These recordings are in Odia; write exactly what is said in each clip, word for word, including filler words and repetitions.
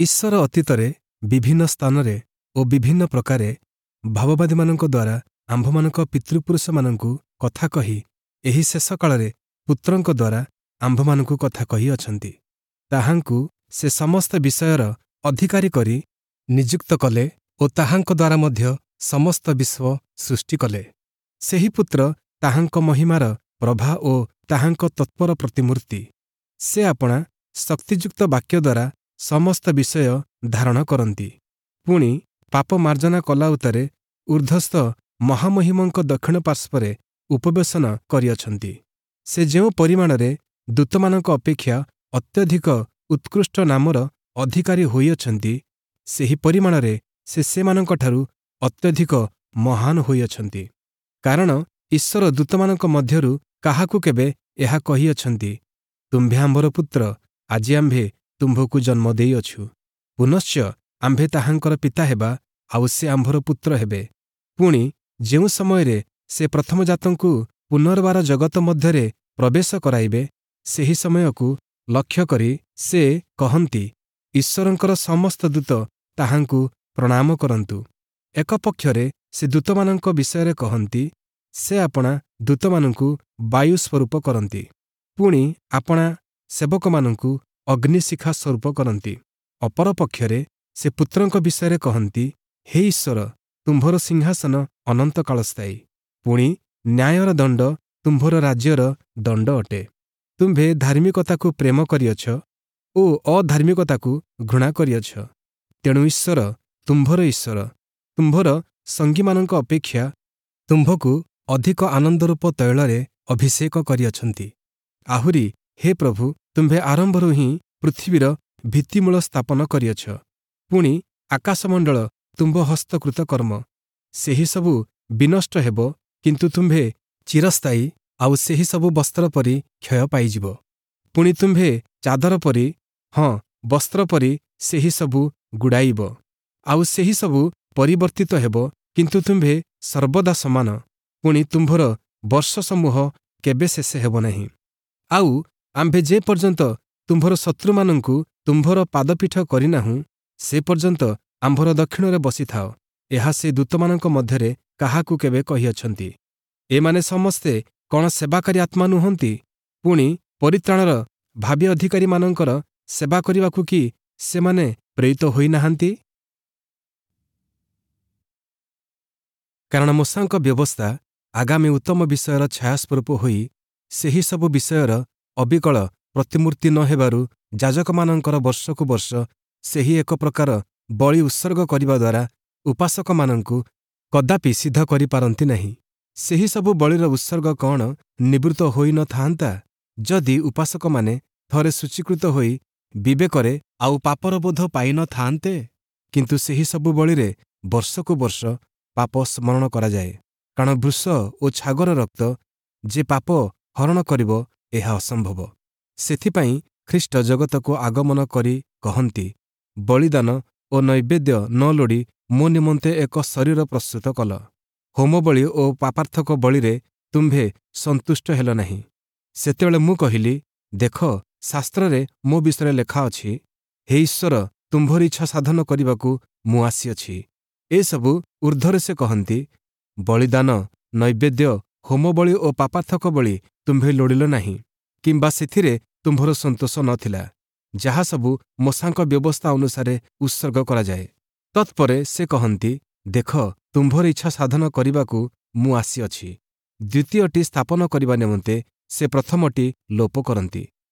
ଈଶ୍ୱର ଅତୀତରେ ବିଭିନ୍ନ ସ୍ଥାନରେ ଓ ବିଭିନ୍ନ ପ୍ରକାରେ ଭାବବାଦୀମାନଙ୍କ ଦ୍ୱାରା ଆମ୍ଭମାନଙ୍କ ପିତୃପୁରୁଷମାନଙ୍କୁ କଥା କହି ଏହି ଶେଷ କାଳରେ ପୁତ୍ରଙ୍କ ଦ୍ୱାରା ଆମ୍ଭମାନଙ୍କୁ କଥା କହିଅଛନ୍ତି। ତାହାଙ୍କୁ ସେ ସମସ୍ତ ବିଷୟର ଅଧିକାରୀ କରି ନିଯୁକ୍ତ କଲେ ଓ ତାହାଙ୍କ ଦ୍ୱାରା ମଧ୍ୟ ସମସ୍ତ ବିଶ୍ୱ ସୃଷ୍ଟି କଲେ। ସେହି ପୁତ୍ର ତାହାଙ୍କ ମହିମାର ପ୍ରଭା ଓ ତାହାଙ୍କ ତତ୍ତ୍ୱର ପ୍ରତିମୂର୍ତ୍ତି। ସେ ଆପଣା ଶକ୍ତିଯୁକ୍ତ ବାକ୍ୟ ଦ୍ୱାରା ସମସ୍ତ ବିଷୟ ଧାରଣ କରନ୍ତି। ପୁଣି ପାପ ମାର୍ଜନା କଲା ଉତ୍ତାରେ ଊର୍ଦ୍ଧ୍ୱସ୍ଥ ମହାମହିମଙ୍କ ଦକ୍ଷିଣ ପାର୍ଶ୍ୱରେ ଉପବେଶନ କରିଅଛନ୍ତି। ସେ ଯେଉଁ ପରିମାଣରେ ଦୂତମାନଙ୍କ ଅପେକ୍ଷା ଅତ୍ୟଧିକ ଉତ୍କୃଷ୍ଟ ନାମର ଅଧିକାରୀ ହୋଇଅଛନ୍ତି, ସେହି ପରିମାଣରେ ସେ ସେମାନଙ୍କଠାରୁ ଅତ୍ୟଧିକ ମହାନ ହୋଇଅଛନ୍ତି। କାରଣ ଈଶ୍ୱର ଦୂତମାନଙ୍କ ମଧ୍ୟରୁ କାହାକୁ କେବେ ଏହା କହିଅଛନ୍ତି, ତୁମ୍ଭେ ଆମ୍ଭର ପୁତ୍ର, ଆଜି ଆମ୍ଭେ ତୁମ୍ଭକୁ ଜନ୍ମ ଦେଇଅଛୁ। ପୁନଶ୍ଚ ଆମ୍ଭେ ତାହାଙ୍କର ପିତା ହେବା, ଆଉ ସେ ଆମ୍ଭର ପୁତ୍ର ହେବେ। ପୁଣି ଯେଉଁ ସମୟରେ ସେ ପ୍ରଥମଜାତଙ୍କୁ ପୁନର୍ବାର ଜଗତ ମଧ୍ୟରେ ପ୍ରବେଶ କରାଇବେ, ସେହି ସମୟକୁ ଲକ୍ଷ୍ୟ କରି ସେ କହନ୍ତି, ଈଶ୍ୱରଙ୍କର ସମସ୍ତ ଦୂତ ତାହାଙ୍କୁ ପ୍ରଣାମ କରନ୍ତୁ। ଏକ ପକ୍ଷରେ ସେ ଦୂତମାନଙ୍କ ବିଷୟରେ କହନ୍ତି, ସେ ଆପଣା ଦୂତମାନଙ୍କୁ ବାୟୁ ସ୍ୱରୂପ କରନ୍ତି, ପୁଣି ଆପଣା ସେବକମାନଙ୍କୁ ଅଗ୍ନିଶିଖା ସ୍ୱରୂପ କରନ୍ତି। ଅପରପକ୍ଷରେ ସେ ପୁତ୍ରଙ୍କ ବିଷୟରେ କହନ୍ତି, ହେ ଈଶ୍ୱର, ତୁମ୍ଭର ସିଂହାସନ ଅନନ୍ତକାଳସ୍ଥାୟୀ, ପୁଣି ନ୍ୟାୟର ଦଣ୍ଡ ତୁମ୍ଭର ରାଜ୍ୟର ଦଣ୍ଡ ଅଟେ। ତୁମ୍ଭେ ଧାର୍ମିକତାକୁ ପ୍ରେମ କରିଅଛ ଓ ଅଧାର୍ମିକତାକୁ ଘୃଣା କରିଅଛ। ତେଣୁ ଈଶ୍ୱର ତୁମ୍ଭର ଈଶ୍ୱର ତୁମ୍ଭର ସଙ୍ଗୀମାନଙ୍କ ଅପେକ୍ଷା ତୁମ୍ଭକୁ ଅଧିକ ଆନନ୍ଦରୂପ ତୈଳରେ ଅଭିଷେକ କରିଅଛନ୍ତି। ଆହୁରି ହେ ପ୍ରଭୁ, ତୁମ୍ଭେ ଆରମ୍ଭରୁ ହିଁ ପୃଥିବୀର ଭିତ୍ତିମୂଳ ସ୍ଥାପନ କରିଅଛ, ପୁଣି ଆକାଶମଣ୍ଡଳ ତୁମ୍ଭ ହସ୍ତକୃତ କର୍ମ। ସେହି ସବୁ ବିନଷ୍ଟ ହେବ, କିନ୍ତୁ ତୁମ୍ଭେ ଚିରସ୍ଥାୟୀ, ଆଉ ସେହି ସବୁ ବସ୍ତ୍ର ପରି କ୍ଷୟ ପାଇଯିବ। ପୁଣି ତୁମ୍ଭେ ଚାଦର ପରି, ହଁ ବସ୍ତ୍ର ପରି ସେହି ସବୁ ଗୁଡ଼ାଇବ, ଆଉ ସେହି ସବୁ ପରିବର୍ତ୍ତିତ ହେବ, କିନ୍ତୁ ତୁମ୍ଭେ ସର୍ବଦା ସମାନ, ପୁଣି ତୁମ୍ଭର ବର୍ଷସମୂହ କେବେ ଶେଷ ହେବ ନାହିଁ। ଆଉ ଆମ୍ଭେ ଯେ ପର୍ଯ୍ୟନ୍ତ ତୁମ୍ଭର ଶତ୍ରୁମାନଙ୍କୁ ତୁମ୍ଭର ପାଦପୀଠ କରିନାହୁଁ, ସେ ପର୍ଯ୍ୟନ୍ତ ଆମ୍ଭର ଦକ୍ଷିଣରେ ବସିଥାଅ। ଏହା ସେ ଦୂତମାନଙ୍କ ମଧ୍ୟରେ କାହାକୁ କେବେ କହିଅଛନ୍ତି? ଏମାନେ ସମସ୍ତେ କ'ଣ ସେବାକାରୀ ଆତ୍ମା ନୁହନ୍ତି? ପୁଣି ପରିତ୍ରାଣର ଭାବୀ ଅଧିକାରୀମାନଙ୍କର ସେବା କରିବାକୁ କି ସେମାନେ ପ୍ରେରିତ ହୋଇନାହାନ୍ତି? କାରଣ ମୋଶାଙ୍କ ବ୍ୟବସ୍ଥା ଆଗାମୀ ଉତ୍ତମ ବିଷୟର ଛାୟାସ୍ୱରୂପ ହୋଇ ସେହି ସବୁ ବିଷୟର ଅବିକଳ ପ୍ରତିମୂର୍ତ୍ତି ନ ହେବାରୁ ଯାଜକମାନଙ୍କର ବର୍ଷକୁ ବର୍ଷ ସେହି ଏକ ପ୍ରକାର ବଳି ଉତ୍ସର୍ଗ କରିବା ଦ୍ୱାରା ଉପାସକମାନଙ୍କୁ କଦାପି ସିଦ୍ଧ କରିପାରନ୍ତି ନାହିଁ। ସେହି ସବୁ ବଳିର ଉତ୍ସର୍ଗ କ'ଣ ନିବୃତ୍ତ ହୋଇ ନ ଥାଆନ୍ତା, ଯଦି ଉପାସକମାନେ ଥରେ ସୂଚୀକୃତ ହୋଇ ବିବେକରେ ଆଉ ପାପର ବୋଧ ପାଇ ନ ଥାଆନ୍ତେ? କିନ୍ତୁ ସେହି ସବୁ ବଳିରେ ବର୍ଷକୁ ବର୍ଷ ପାପ ସ୍ମରଣ କରାଯାଏ। କାରଣ ବୃଷ ଓ ଛାଗର ରକ୍ତ ଯେ ପାପ ହରଣ କରିବ, ଏହା ଅସମ୍ଭବ। ସେଥିପାଇଁ ଖ୍ରୀଷ୍ଟ ଜଗତକୁ ଆଗମନ କରି କହନ୍ତି, ବଳିଦାନ ଓ ନୈବେଦ୍ୟ ନ ଲୋଡ଼ି ମୋ ନିମନ୍ତେ ଏକ ଶରୀର ପ୍ରସ୍ତୁତ କଲ। ହୋମବଳି ଓ ପାପାର୍ଥକ ବଳିରେ ତୁମ୍ଭେ ସନ୍ତୁଷ୍ଟ ହେଲ ନାହିଁ। ସେତେବେଳେ ମୁଁ କହିଲି, ଦେଖ, ଶାସ୍ତ୍ରରେ ମୋ ବିଷୟରେ ଲେଖା ଅଛି, ହେ ଈଶ୍ୱର, ତୁମ୍ଭର ଇଚ୍ଛା ସାଧନ କରିବାକୁ ମୁଁ ଆସିଅଛି। ଏସବୁ ଊର୍ଦ୍ଧ୍ୱରେ ସେ କହନ୍ତି, ବଳିଦାନ, ନୈବେଦ୍ୟ, ହୋମବଳି ଓ ପାପାର୍ଥକ ବଳି ତୁମ୍ଭେ ଲୋଡ଼ିଲ ନାହିଁ, କିମ୍ବା ସେଥିରେ ତୁମ୍ଭର ସନ୍ତୋଷ ନଥିଲା, ଯାହା ସବୁ ମୋଶାଙ୍କ ବ୍ୟବସ୍ଥା ଅନୁସାରେ ଉତ୍ସର୍ଗ କରାଯାଏ। ତତ୍ପରେ ସେ କହନ୍ତି, ଦେଖ, ତୁମ୍ଭର ଇଚ୍ଛା ସାଧନ କରିବାକୁ ମୁଁ ଆସିଅଛି। ଦ୍ୱିତୀୟଟି ସ୍ଥାପନ କରିବା ନିମନ୍ତେ ସେ ପ୍ରଥମଟି ଲୋପ କରନ୍ତି।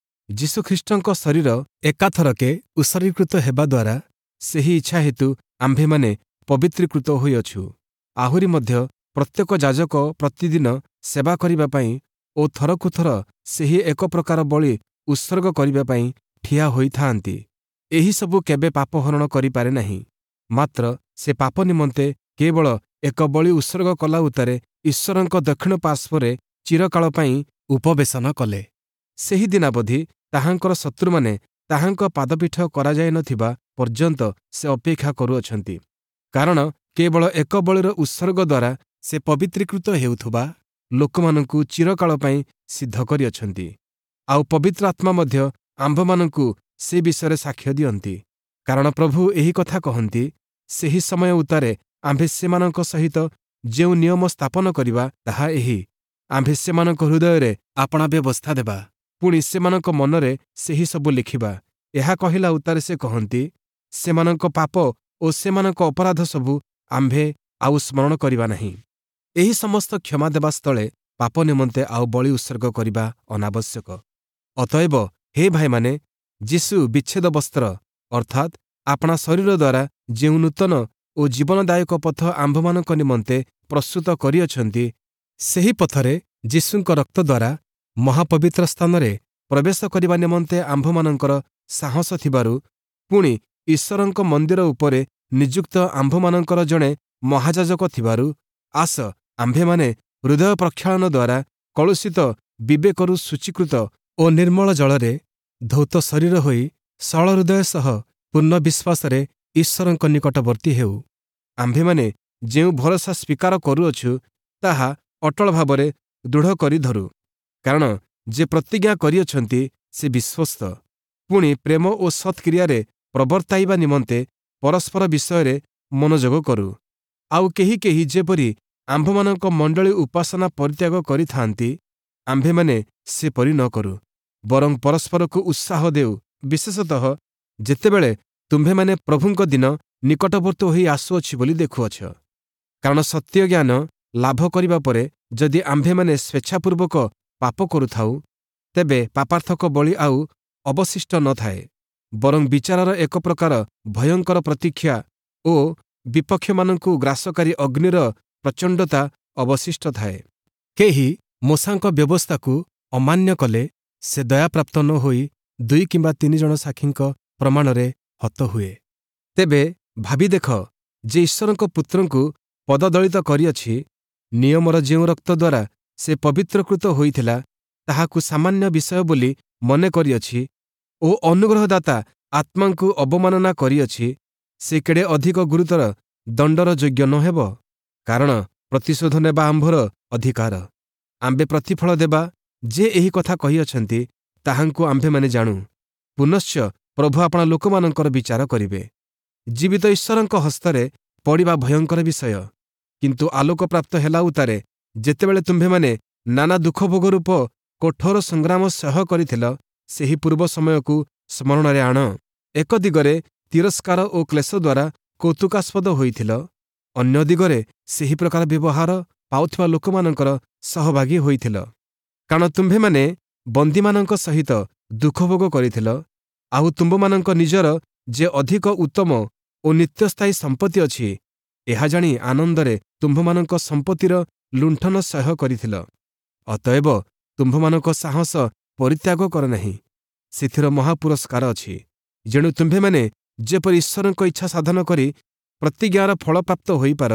ଯୀଶୁଖ୍ରୀଷ୍ଟଙ୍କ ଶରୀର ଏକାଥରକେ ଉତ୍ସର୍ଗୀକୃତ ହେବା ଦ୍ୱାରା ସେହି ଇଚ୍ଛା ହେତୁ ଆମ୍ଭେମାନେ ପବିତ୍ରୀକୃତ ହୋଇଅଛୁ। ଆହୁରି ମଧ୍ୟ ପ୍ରତ୍ୟେକ ଯାଜକ ପ୍ରତିଦିନ ସେବା କରିବା ପାଇଁ ଓ ଥରକୁ ଥର ସେହି ଏକ ପ୍ରକାର ବଳି ଉତ୍ସର୍ଗ କରିବା ପାଇଁ ଠିଆ ହୋଇଥାଆନ୍ତି। ଏହିସବୁ କେବେ ପାପ ହରଣ କରିପାରେ ନାହିଁ। ମାତ୍ର ସେ ପାପ ନିମନ୍ତେ କେବଳ ଏକ ବଳି ଉତ୍ସର୍ଗ କଲା ଉତ୍ତାରେ ଈଶ୍ୱରଙ୍କ ଦକ୍ଷିଣ ପାର୍ଶ୍ୱରେ ଚିରକାଳ ପାଇଁ ଉପବେଶନ କଲେ। ସେହି ଦିନାବଧି ତାହାଙ୍କର ଶତ୍ରୁମାନେ ତାହାଙ୍କ ପାଦପୀଠ କରାଯାଇନଥିବା ପର୍ଯ୍ୟନ୍ତ ସେ ଅପେକ୍ଷା କରୁଅଛନ୍ତି। କାରଣ କେବଳ ଏକ ବଳିର ଉତ୍ସର୍ଗ ଦ୍ୱାରା ସେ ପବିତ୍ରୀକୃତ ହେଉଥିବା ଲୋକମାନଙ୍କୁ ଚିରକାଳ ପାଇଁ ସିଦ୍ଧ କରିଅଛନ୍ତି। ଆଉ ପବିତ୍ର ଆତ୍ମା ମଧ୍ୟ ଆମ୍ଭମାନଙ୍କୁ ସେ ବିଷୟରେ ସାକ୍ଷ୍ୟ ଦିଅନ୍ତି। କାରଣ ପ୍ରଭୁ ଏହି କଥା କହନ୍ତି, ସେହି ସମୟ ଉତ୍ତାରେ ଆମ୍ଭେ ସେମାନଙ୍କ ସହିତ ଯେଉଁ ନିୟମ ସ୍ଥାପନ କରିବା ତାହା ଏହି, ଆମ୍ଭେ ସେମାନଙ୍କ ହୃଦୟରେ ଆପଣା ବ୍ୟବସ୍ଥା ଦେବା, ପୁଣି ସେମାନଙ୍କ ମନରେ ସେହି ସବୁ ଲେଖିବା। ଏହା କହିଲା ଉତ୍ତାରେ ସେ କହନ୍ତି, ସେମାନଙ୍କ ପାପ ଓ ସେମାନଙ୍କ ଅପରାଧ ସବୁ ଆମ୍ଭେ ଆଉ ସ୍ମରଣ କରିବା ନାହିଁ। ଏହି ସମସ୍ତ କ୍ଷମା ଦେବା ସ୍ଥଳେ ପାପ ନିମନ୍ତେ ଆଉ ବଳି ଉତ୍ସର୍ଗ କରିବା ଅନାବଶ୍ୟକ। ଅତଏବ ହେ ଭାଇମାନେ, ଯୀଶୁ ବିଚ୍ଛେଦ ବସ୍ତ୍ର ଅର୍ଥାତ୍ ଆପଣା ଶରୀର ଦ୍ୱାରା ଯେଉଁ ନୂତନ ଓ ଜୀବନଦାୟକ ପଥ ଆମ୍ଭମାନଙ୍କ ନିମନ୍ତେ ପ୍ରସ୍ତୁତ କରିଅଛନ୍ତି, ସେହି ପଥରେ ଯୀଶୁଙ୍କ ରକ୍ତ ଦ୍ୱାରା ମହାପବିତ୍ର ସ୍ଥାନରେ ପ୍ରବେଶ କରିବା ନିମନ୍ତେ ଆମ୍ଭମାନଙ୍କର ସାହସ ଥିବାରୁ, ପୁଣି ଈଶ୍ୱରଙ୍କ ମନ୍ଦିର ଉପରେ ନିଯୁକ୍ତ ଆମ୍ଭମାନଙ୍କର ଜଣେ ମହାଯାଜକ ଥିବାରୁ, ଆସ ଆମ୍ଭେମାନେ ହୃଦୟ ପ୍ରକ୍ଷାଳନ ଦ୍ୱାରା କଳୁଷିତ ବିବେକରୁ ଶୁଚୀକୃତ ଓ ନିର୍ମଳ ଜଳରେ ଧୌତ ଶରୀର ହୋଇ ସରଳ ହୃଦୟ ସହ ପୂର୍ଣ୍ଣ ବିଶ୍ୱାସରେ ଈଶ୍ୱରଙ୍କ ନିକଟବର୍ତ୍ତୀ ହେଉ। ଆମ୍ଭେମାନେ ଯେଉଁ ଭରସା ସ୍ୱୀକାର କରୁଅଛୁ, ତାହା ଅଟଳ ଭାବରେ ଦୃଢ଼ କରି ଧରୁ, କାରଣ ଯେ ପ୍ରତିଜ୍ଞା କରିଅଛନ୍ତି ସେ ବିଶ୍ୱସ୍ତ। ପୁଣି ପ୍ରେମ ଓ ସତ୍କ୍ରିୟାରେ ପ୍ରବର୍ତ୍ତାଇବା ନିମନ୍ତେ ପରସ୍ପର ବିଷୟରେ ମନୋଯୋଗ କରୁ। ଆଉ କେହି କେହି ଯେପରି ଆମ୍ଭମାନଙ୍କ ମଣ୍ଡଳୀ ଉପାସନା ପରିତ୍ୟାଗ କରିଥାନ୍ତି, ଆମ୍ଭେମାନେ ସେପରି ନ କରୁ, ବରଂ ପରସ୍ପରକୁ ଉତ୍ସାହ ଦେଉ, ବିଶେଷତଃ ଯେତେବେଳେ ତୁମ୍ଭେମାନେ ପ୍ରଭୁଙ୍କ ଦିନ ନିକଟବର୍ତ୍ତୀ ହୋଇ ଆସୁଅଛି ବୋଲି ଦେଖୁଅଛ। କାରଣ ସତ୍ୟ ଜ୍ଞାନ ଲାଭ କରିବା ପରେ ଯଦି ଆମ୍ଭେମାନେ ସ୍ୱେଚ୍ଛାପୂର୍ବକ ପାପ କରୁଥାଉ, ତେବେ ପାପାର୍ଥକ ବଳି ଆଉ ଅବଶିଷ୍ଟ ନଥାଏ, ବରଂ ବିଚାରର ଏକ ପ୍ରକାର ଭୟଙ୍କର ପ୍ରତୀକ୍ଷା ଓ ବିପକ୍ଷମାନଙ୍କୁ ଗ୍ରାସକାରୀ ଅଗ୍ନିର ପ୍ରଚଣ୍ଡତା ଅବଶିଷ୍ଟ ଥାଏ। କେହି ମୋଶାଙ୍କ ବ୍ୟବସ୍ଥାକୁ ଅମାନ୍ୟ କଲେ ସେ ଦୟାପ୍ରାପ୍ତ ନ ହୋଇ ଦୁଇ କିମ୍ବା ତିନି ଜଣ ସାକ୍ଷୀଙ୍କ ପ୍ରମାଣରେ ହତ ହୁଏ। ତେବେ ଭାବି ଦେଖ, ଯେ ଈଶ୍ୱରଙ୍କ ପୁତ୍ରଙ୍କୁ ପଦଦଳିତ କରିଅଛି, ନିୟମର ଯେଉଁ ରକ୍ତ ଦ୍ୱାରା ସେ ପବିତ୍ରକୃତ ହୋଇଥିଲା ତାହାକୁ ସାମାନ୍ୟ ବିଷୟ ବୋଲି ମନେ କରିଅଛି ଓ ଅନୁଗ୍ରହଦାତା ଆତ୍ମାଙ୍କୁ ଅବମାନନା କରିଅଛି, ସେ କେଡ଼େ ଅଧିକ ଗୁରୁତର ଦଣ୍ଡର ଯୋଗ୍ୟ ନ ହେବ? କାରଣ ପ୍ରତିଶୋଧ ନେବା ଆମ୍ଭର ଅଧିକାର, ଆମ୍ଭେ ପ୍ରତିଫଳ ଦେବା। ଯେ ଏହି କଥା କହିଅଛନ୍ତି ତାହାଙ୍କୁ ଆମ୍ଭେମାନେ ଜାଣୁ। ପୁନଶ୍ଚ ପ୍ରଭୁ ଆପଣା ଲୋକମାନଙ୍କର ବିଚାର କରିବେ। ଜୀବିତ ଈଶ୍ୱରଙ୍କ ହସ୍ତରେ ପଡ଼ିବା ଭୟଙ୍କର ବିଷୟ। କିନ୍ତୁ ଆଲୋକପ୍ରାପ୍ତ ହେଲା ଉତ୍ତାରେ ଯେତେବେଳେ ତୁମ୍ଭେମାନେ ନାନା ଦୁଃଖଭୋଗ ରୂପ କଠୋର ସଂଗ୍ରାମ ସହ୍ୟ କରିଥିଲ, ସେହି ପୂର୍ବ ସମୟକୁ ସ୍ମରଣରେ ଆଣ। ଏକ ଦିଗରେ ତିରସ୍କାର ଓ କ୍ଲେଶ ଦ୍ୱାରା କୌତୁକାସ୍ପଦ ହୋଇଥିଲ, ଅନ୍ୟ ଦିଗରେ ସେହି ପ୍ରକାର ବ୍ୟବହାର ପାଉଥିବା ଲୋକମାନଙ୍କର ସହଭାଗୀ ହୋଇଥିଲ। କାରଣ ତୁମ୍ଭେମାନେ ବନ୍ଦୀମାନଙ୍କ ସହିତ ଦୁଃଖଭୋଗ କରିଥିଲ, ଆଉ ତୁମ୍ଭମାନଙ୍କ ନିଜର ଯେ ଅଧିକ ଉତ୍ତମ ଓ ନିତ୍ୟସ୍ଥାୟୀ ସମ୍ପତ୍ତି ଅଛି, ଏହା ଜାଣି ଆନନ୍ଦରେ ତୁମ୍ଭମାନଙ୍କ ସମ୍ପତ୍ତିର ଲୁଣ୍ଠନ ସହ୍ୟ କରିଥିଲ। ଅତଏବ ତୁମ୍ଭମାନଙ୍କ ସାହସ ପରିତ୍ୟାଗ କର ନାହିଁ, ସେଥିର ମହାପୁରସ୍କାର ଅଛି। ଯେଣୁ ତୁମ୍ଭେମାନେ ଯେପରି ଈଶ୍ୱରଙ୍କ ଇଚ୍ଛା ସାଧନ କରି ପ୍ରତିଜ୍ଞାର ଫଳପ୍ରାପ୍ତ ହୋଇପାର,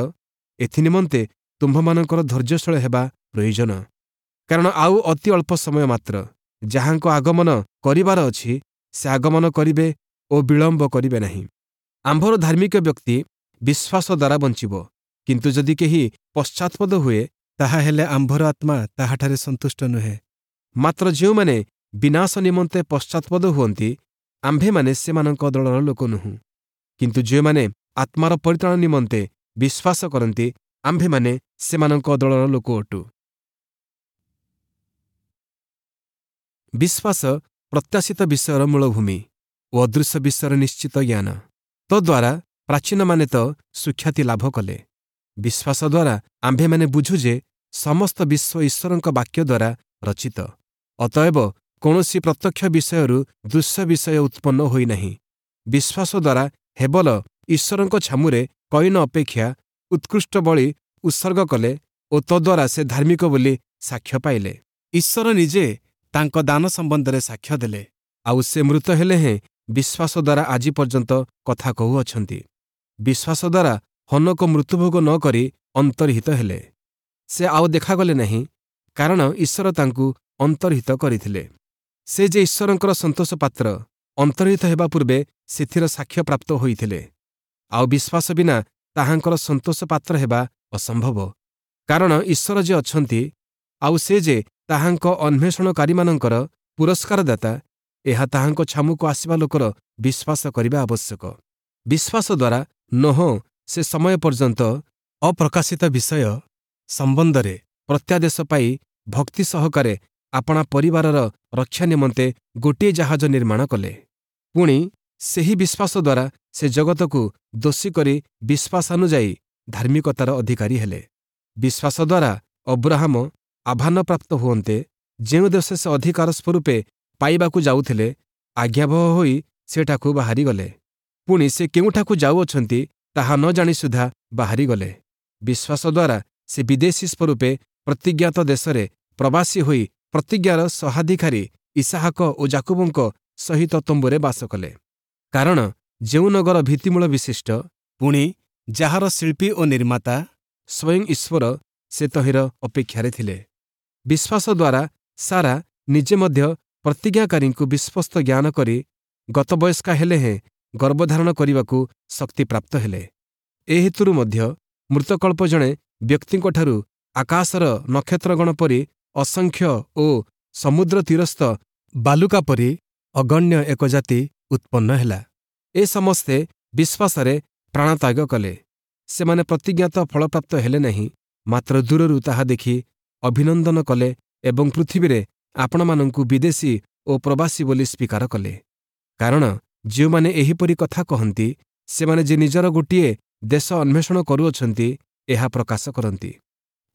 ଏଥିନିମନ୍ତେ ତୁମ୍ଭମାନଙ୍କର ଧୈର୍ଯ୍ୟଶୀଳ ହେବା ପ୍ରୟୋଜନ। କାରଣ ଆଉ ଅତି ଅଳ୍ପ ସମୟ ମାତ୍ର, ଯାହାଙ୍କ ଆଗମନ କରିବାର ଅଛି ସେ ଆଗମନ କରିବେ ଓ ବିଳମ୍ବ କରିବେ ନାହିଁ। ଆମ୍ଭର ଧାର୍ମିକ ବ୍ୟକ୍ତି ବିଶ୍ୱାସ ଦ୍ୱାରା ବଞ୍ଚିବ, କିନ୍ତୁ ଯଦି କେହି ପଶ୍ଚାତ୍ପଦ ହୁଏ, ତାହାହେଲେ ଆମ୍ଭର ଆତ୍ମା ତାହାଠାରେ ସନ୍ତୁଷ୍ଟ ନୁହେଁ। ମାତ୍ର ଯେଉଁମାନେ ବିନାଶ ନିମନ୍ତେ ପଶ୍ଚାତ୍ପଦ ହୁଅନ୍ତି, ଆମ୍ଭେମାନେ ସେମାନଙ୍କ ଦଳର ଲୋକ ନୁହଁ। କିନ୍ତୁ ଯେଉଁମାନେ ଆତ୍ମାର ପରିତ୍ରାଣ ନିମନ୍ତେ ବିଶ୍ୱାସ କରନ୍ତି, ଆମ୍ଭେମାନେ ସେମାନଙ୍କ ଦଳର ଲୋକ ଅଟୁ। ବିଶ୍ୱାସ ପ୍ରତ୍ୟାଶିତ ବିଷୟର ମୂଳଭୂମି ଓ ଅଦୃଶ୍ୟ ବିଷୟର ନିଶ୍ଚିତ ଜ୍ଞାନ। ତଦ୍ୱାରା ପ୍ରାଚୀନମାନେ ତ ସୁଖ୍ୟାତି ଲାଭ କଲେ। ବିଶ୍ୱାସ ଦ୍ୱାରା ଆମ୍ଭେମାନେ ବୁଝୁ ଯେ ସମସ୍ତ ବିଶ୍ୱ ଈଶ୍ୱରଙ୍କ ବାକ୍ୟ ଦ୍ୱାରା ରଚିତ, ଅତଏବ କୌଣସି ପ୍ରତ୍ୟକ୍ଷ ବିଷୟରୁ ଦୃଶ୍ୟ ବିଷୟ ଉତ୍ପନ୍ନ ହୋଇନାହିଁ। ବିଶ୍ୱାସ ଦ୍ୱାରା ହେବଲ ଈଶ୍ୱରଙ୍କ ଛାମୁରେ କଇନ ଅପେକ୍ଷା ଉତ୍କୃଷ୍ଟ ବଳି ଉତ୍ସର୍ଗ କଲେ ଓ ତଦ୍ୱାରା ସେ ଧାର୍ମିକ ବୋଲି ସାକ୍ଷ୍ୟ ପାଇଲେ। ଈଶ୍ୱର ନିଜେ ତାଙ୍କ ଦାନ ସମ୍ବନ୍ଧରେ ସାକ୍ଷ୍ୟ ଦେଲେ, ଆଉ ସେ ମୃତ ହେଲେ ହେଁ ବିଶ୍ୱାସ ଦ୍ୱାରା ଆଜି ପର୍ଯ୍ୟନ୍ତ କଥା କହୁଅଛନ୍ତି। ବିଶ୍ୱାସ ଦ୍ୱାରା ହନୋକ ମୃତ୍ୟୁଭୋଗ ନ କରି ଅନ୍ତର୍ହିତ ହେଲେ। ସେ ଆଉ ଦେଖାଗଲେ ନାହିଁ, କାରଣ ଈଶ୍ୱର ତାଙ୍କୁ ଅନ୍ତର୍ହିତ କରିଥିଲେ। ସେ ଯେ ଈଶ୍ୱରଙ୍କର ସନ୍ତୋଷ ପାତ୍ର, ଅନ୍ତର୍ହିତ ହେବା ପୂର୍ବେ ସେଥିର ସାକ୍ଷ୍ୟ ପ୍ରାପ୍ତ ହୋଇଥିଲେ। ଆଉ ବିଶ୍ୱାସ ବିନା ତାହାଙ୍କର ସନ୍ତୋଷ ପାତ୍ର ହେବା ଅସମ୍ଭବ, କାରଣ ଈଶ୍ୱର ଯେ ଅଛନ୍ତି, ଆଉ ସେ ଯେ ତାହାଙ୍କ ଅନ୍ୱେଷଣକାରୀମାନଙ୍କର ପୁରସ୍କାରଦାତା, ଏହା ତାହାଙ୍କ ଛାମୁକୁ ଆସିବା ଲୋକର ବିଶ୍ୱାସ କରିବା ଆବଶ୍ୟକ। ବିଶ୍ୱାସ ଦ୍ୱାରା ନୋହ ସେ ସମୟ ପର୍ଯ୍ୟନ୍ତ ଅପ୍ରକାଶିତ ବିଷୟ ସମ୍ବନ୍ଧରେ ପ୍ରତ୍ୟାଦେଶ ପାଇ ଭକ୍ତି ସହକାରେ ଆପଣା ପରିବାରର ରକ୍ଷା ନିମନ୍ତେ ଗୋଟିଏ ଜାହାଜ ନିର୍ମାଣ କଲେ। ପୁଣି ସେହି ବିଶ୍ୱାସ ଦ୍ୱାରା ସେ ଜଗତକୁ ଦୋଷୀ କରି ବିଶ୍ୱାସାନୁଯାୟୀ ଧାର୍ମିକତାର ଅଧିକାରୀ ହେଲେ। ବିଶ୍ୱାସ ଦ୍ୱାରା ଅବ୍ରାହମ ଆହ୍ୱାନପ୍ରାପ୍ତ ହୁଅନ୍ତେ ଯେଉଁ ଦେଶ ସେ ଅଧିକାର ସ୍ୱରୂପେ ପାଇବାକୁ ଯାଉଥିଲେ, ଆଜ୍ଞାବହ ହୋଇ ସେଠାକୁ ବାହାରିଗଲେ। ପୁଣି ସେ କେଉଁଠାକୁ ଯାଉଅଛନ୍ତି ତାହା ନ ଜାଣି ସୁଦ୍ଧା ବାହାରିଗଲେ। ବିଶ୍ୱାସ ଦ୍ୱାରା ସେ ବିଦେଶୀ ସ୍ୱରୂପେ ପ୍ରତିଜ୍ଞାତ ଦେଶରେ ପ୍ରବାସୀ ହୋଇ ପ୍ରତିଜ୍ଞାର ସହାଧିକାରୀ ଇସାହାକ ଓ ଯାକୁବଙ୍କ ସହିତ ତମ୍ବୁରେ ବାସ କଲେ। କାରଣ ଯେଉଁ ନଗର ଭିତ୍ତିମୂଳ ବିଶିଷ୍ଟ, ପୁଣି ଯାହାର ଶିଳ୍ପୀ ଓ ନିର୍ମାତା ସ୍ୱୟଂ ଈଶ୍ୱର, ସେ ତହିଁର ଅପେକ୍ଷାରେ ଥିଲେ। ବିଶ୍ୱାସ ଦ୍ୱାରା ସାରା ନିଜେ ମଧ୍ୟ ପ୍ରତିଜ୍ଞାକାରୀଙ୍କୁ ବିଶ୍ୱସ୍ତ ଜ୍ଞାନ କରି ଗତବୟସ୍କା ହେଲେ ହେଁ ଗର୍ଭଧାରଣ କରିବାକୁ ଶକ୍ତିପ୍ରାପ୍ତ ହେଲେ। ଏ ହେତୁରୁ ମଧ୍ୟ ମୃତକଳ୍ପ ଜଣେ ବ୍ୟକ୍ତିଙ୍କଠାରୁ ଆକାଶର ନକ୍ଷତ୍ରଗଣ ପରି ଅସଂଖ୍ୟ ଓ ସମୁଦ୍ର ତୀରସ୍ଥ ବାଲୁକା ପରି ଅଗଣ୍ୟ ଏକ ଜାତି ଉତ୍ପନ୍ନ ହେଲା। ଏ ସମସ୍ତେ ବିଶ୍ୱାସରେ ପ୍ରାଣତ୍ୟାଗ କଲେ। ସେମାନେ ପ୍ରତିଜ୍ଞାତ ଫଳପ୍ରାପ୍ତ ହେଲେ ନାହିଁ, ମାତ୍ର ଦୂରରୁ ତାହା ଦେଖି ଅଭିନନ୍ଦନ କଲେ ଏବଂ ପୃଥିବୀରେ ଆପଣମାନଙ୍କୁ ବିଦେଶୀ ଓ ପ୍ରବାସୀ ବୋଲି ସ୍ୱୀକାର କଲେ। କାରଣ ଯେଉଁମାନେ ଏହିପରି କଥା କହନ୍ତି, ସେମାନେ ଯେ ନିଜର ଗୋଟିଏ ଦେଶ ଅନ୍ୱେଷଣ କରୁଅଛନ୍ତି, ଏହା ପ୍ରକାଶ କରନ୍ତି।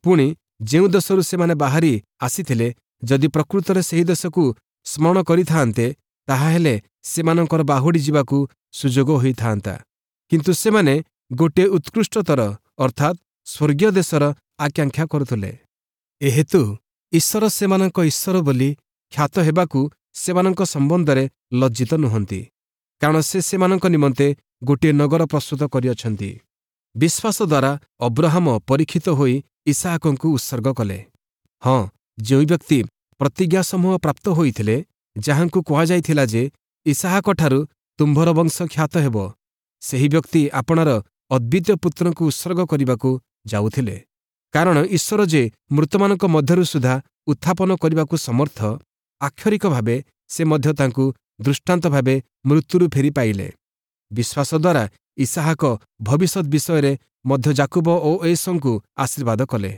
ପୁଣି ଯେଉଁ ଦେଶରୁ ସେମାନେ ବାହାରି ଆସିଥିଲେ, ଯଦି ପ୍ରକୃତରେ ସେହି ଦେଶକୁ ସ୍ମରଣ କରିଥାନ୍ତେ, ତାହାହେଲେ ସେମାନଙ୍କର ବାହୁଡ଼ି ଯିବାକୁ ସୁଯୋଗ ହୋଇଥାନ୍ତା। କିନ୍ତୁ ସେମାନେ ଗୋଟିଏ ଉତ୍କୃଷ୍ଟତର ଅର୍ଥାତ୍ ସ୍ୱର୍ଗୀୟ ଦେଶର ଆକାଂକ୍ଷା କରୁଥିଲେ। ଏହେତୁ ଈଶ୍ୱର ସେମାନଙ୍କ ଈଶ୍ୱର ବୋଲି ଖ୍ୟାତ ହେବାକୁ ସେମାନଙ୍କ ସମ୍ବନ୍ଧରେ ଲଜ୍ଜିତ ନୁହନ୍ତି, କାରଣ ସେ ସେମାନଙ୍କ ନିମନ୍ତେ ଗୋଟିଏ ନଗର ପ୍ରସ୍ତୁତ କରିଅଛନ୍ତି। ବିଶ୍ୱାସ ଦ୍ୱାରା ଅବ୍ରହାମ ପରୀକ୍ଷିତ ହୋଇ ଇସାହାକଙ୍କୁ ଉତ୍ସର୍ଗ କଲେ। ହଁ, ଯେଉଁ ବ୍ୟକ୍ତି ପ୍ରତିଜ୍ଞାସମୂହ ପ୍ରାପ୍ତ ହୋଇଥିଲେ, ଯାହାଙ୍କୁ କୁହାଯାଇଥିଲା ଯେ ଇସାହାକଠାରୁ ତୁମ୍ଭର ବଂଶ ଖ୍ୟାତ ହେବ, ସେହି ବ୍ୟକ୍ତି ଆପଣାର ଅଦ୍ୱିତୀୟ ପୁତ୍ରଙ୍କୁ ଉତ୍ସର୍ଗ କରିବାକୁ ଯାଉଥିଲେ। କାରଣ ଈଶ୍ୱର ଯେ ମୃତମାନଙ୍କ ମଧ୍ୟରୁ ସୁଦ୍ଧା ଉତ୍ଥାପନ କରିବାକୁ ସମର୍ଥ, ଆକ୍ଷରିକ ଭାବେ ସେ ମଧ୍ୟ ତାଙ୍କୁ ଦୃଷ୍ଟାନ୍ତ ଭାବେ ମୃତ୍ୟୁରୁ ଫେରି ପାଇଲେ। ବିଶ୍ୱାସ ଦ୍ୱାରା ଇସାହାକ ଭବିଷ୍ୟତ ବିଷୟରେ ମଧ୍ୟ ଯାକୁବ ଓ ଏଷଙ୍କୁ ଆଶୀର୍ବାଦ କଲେ।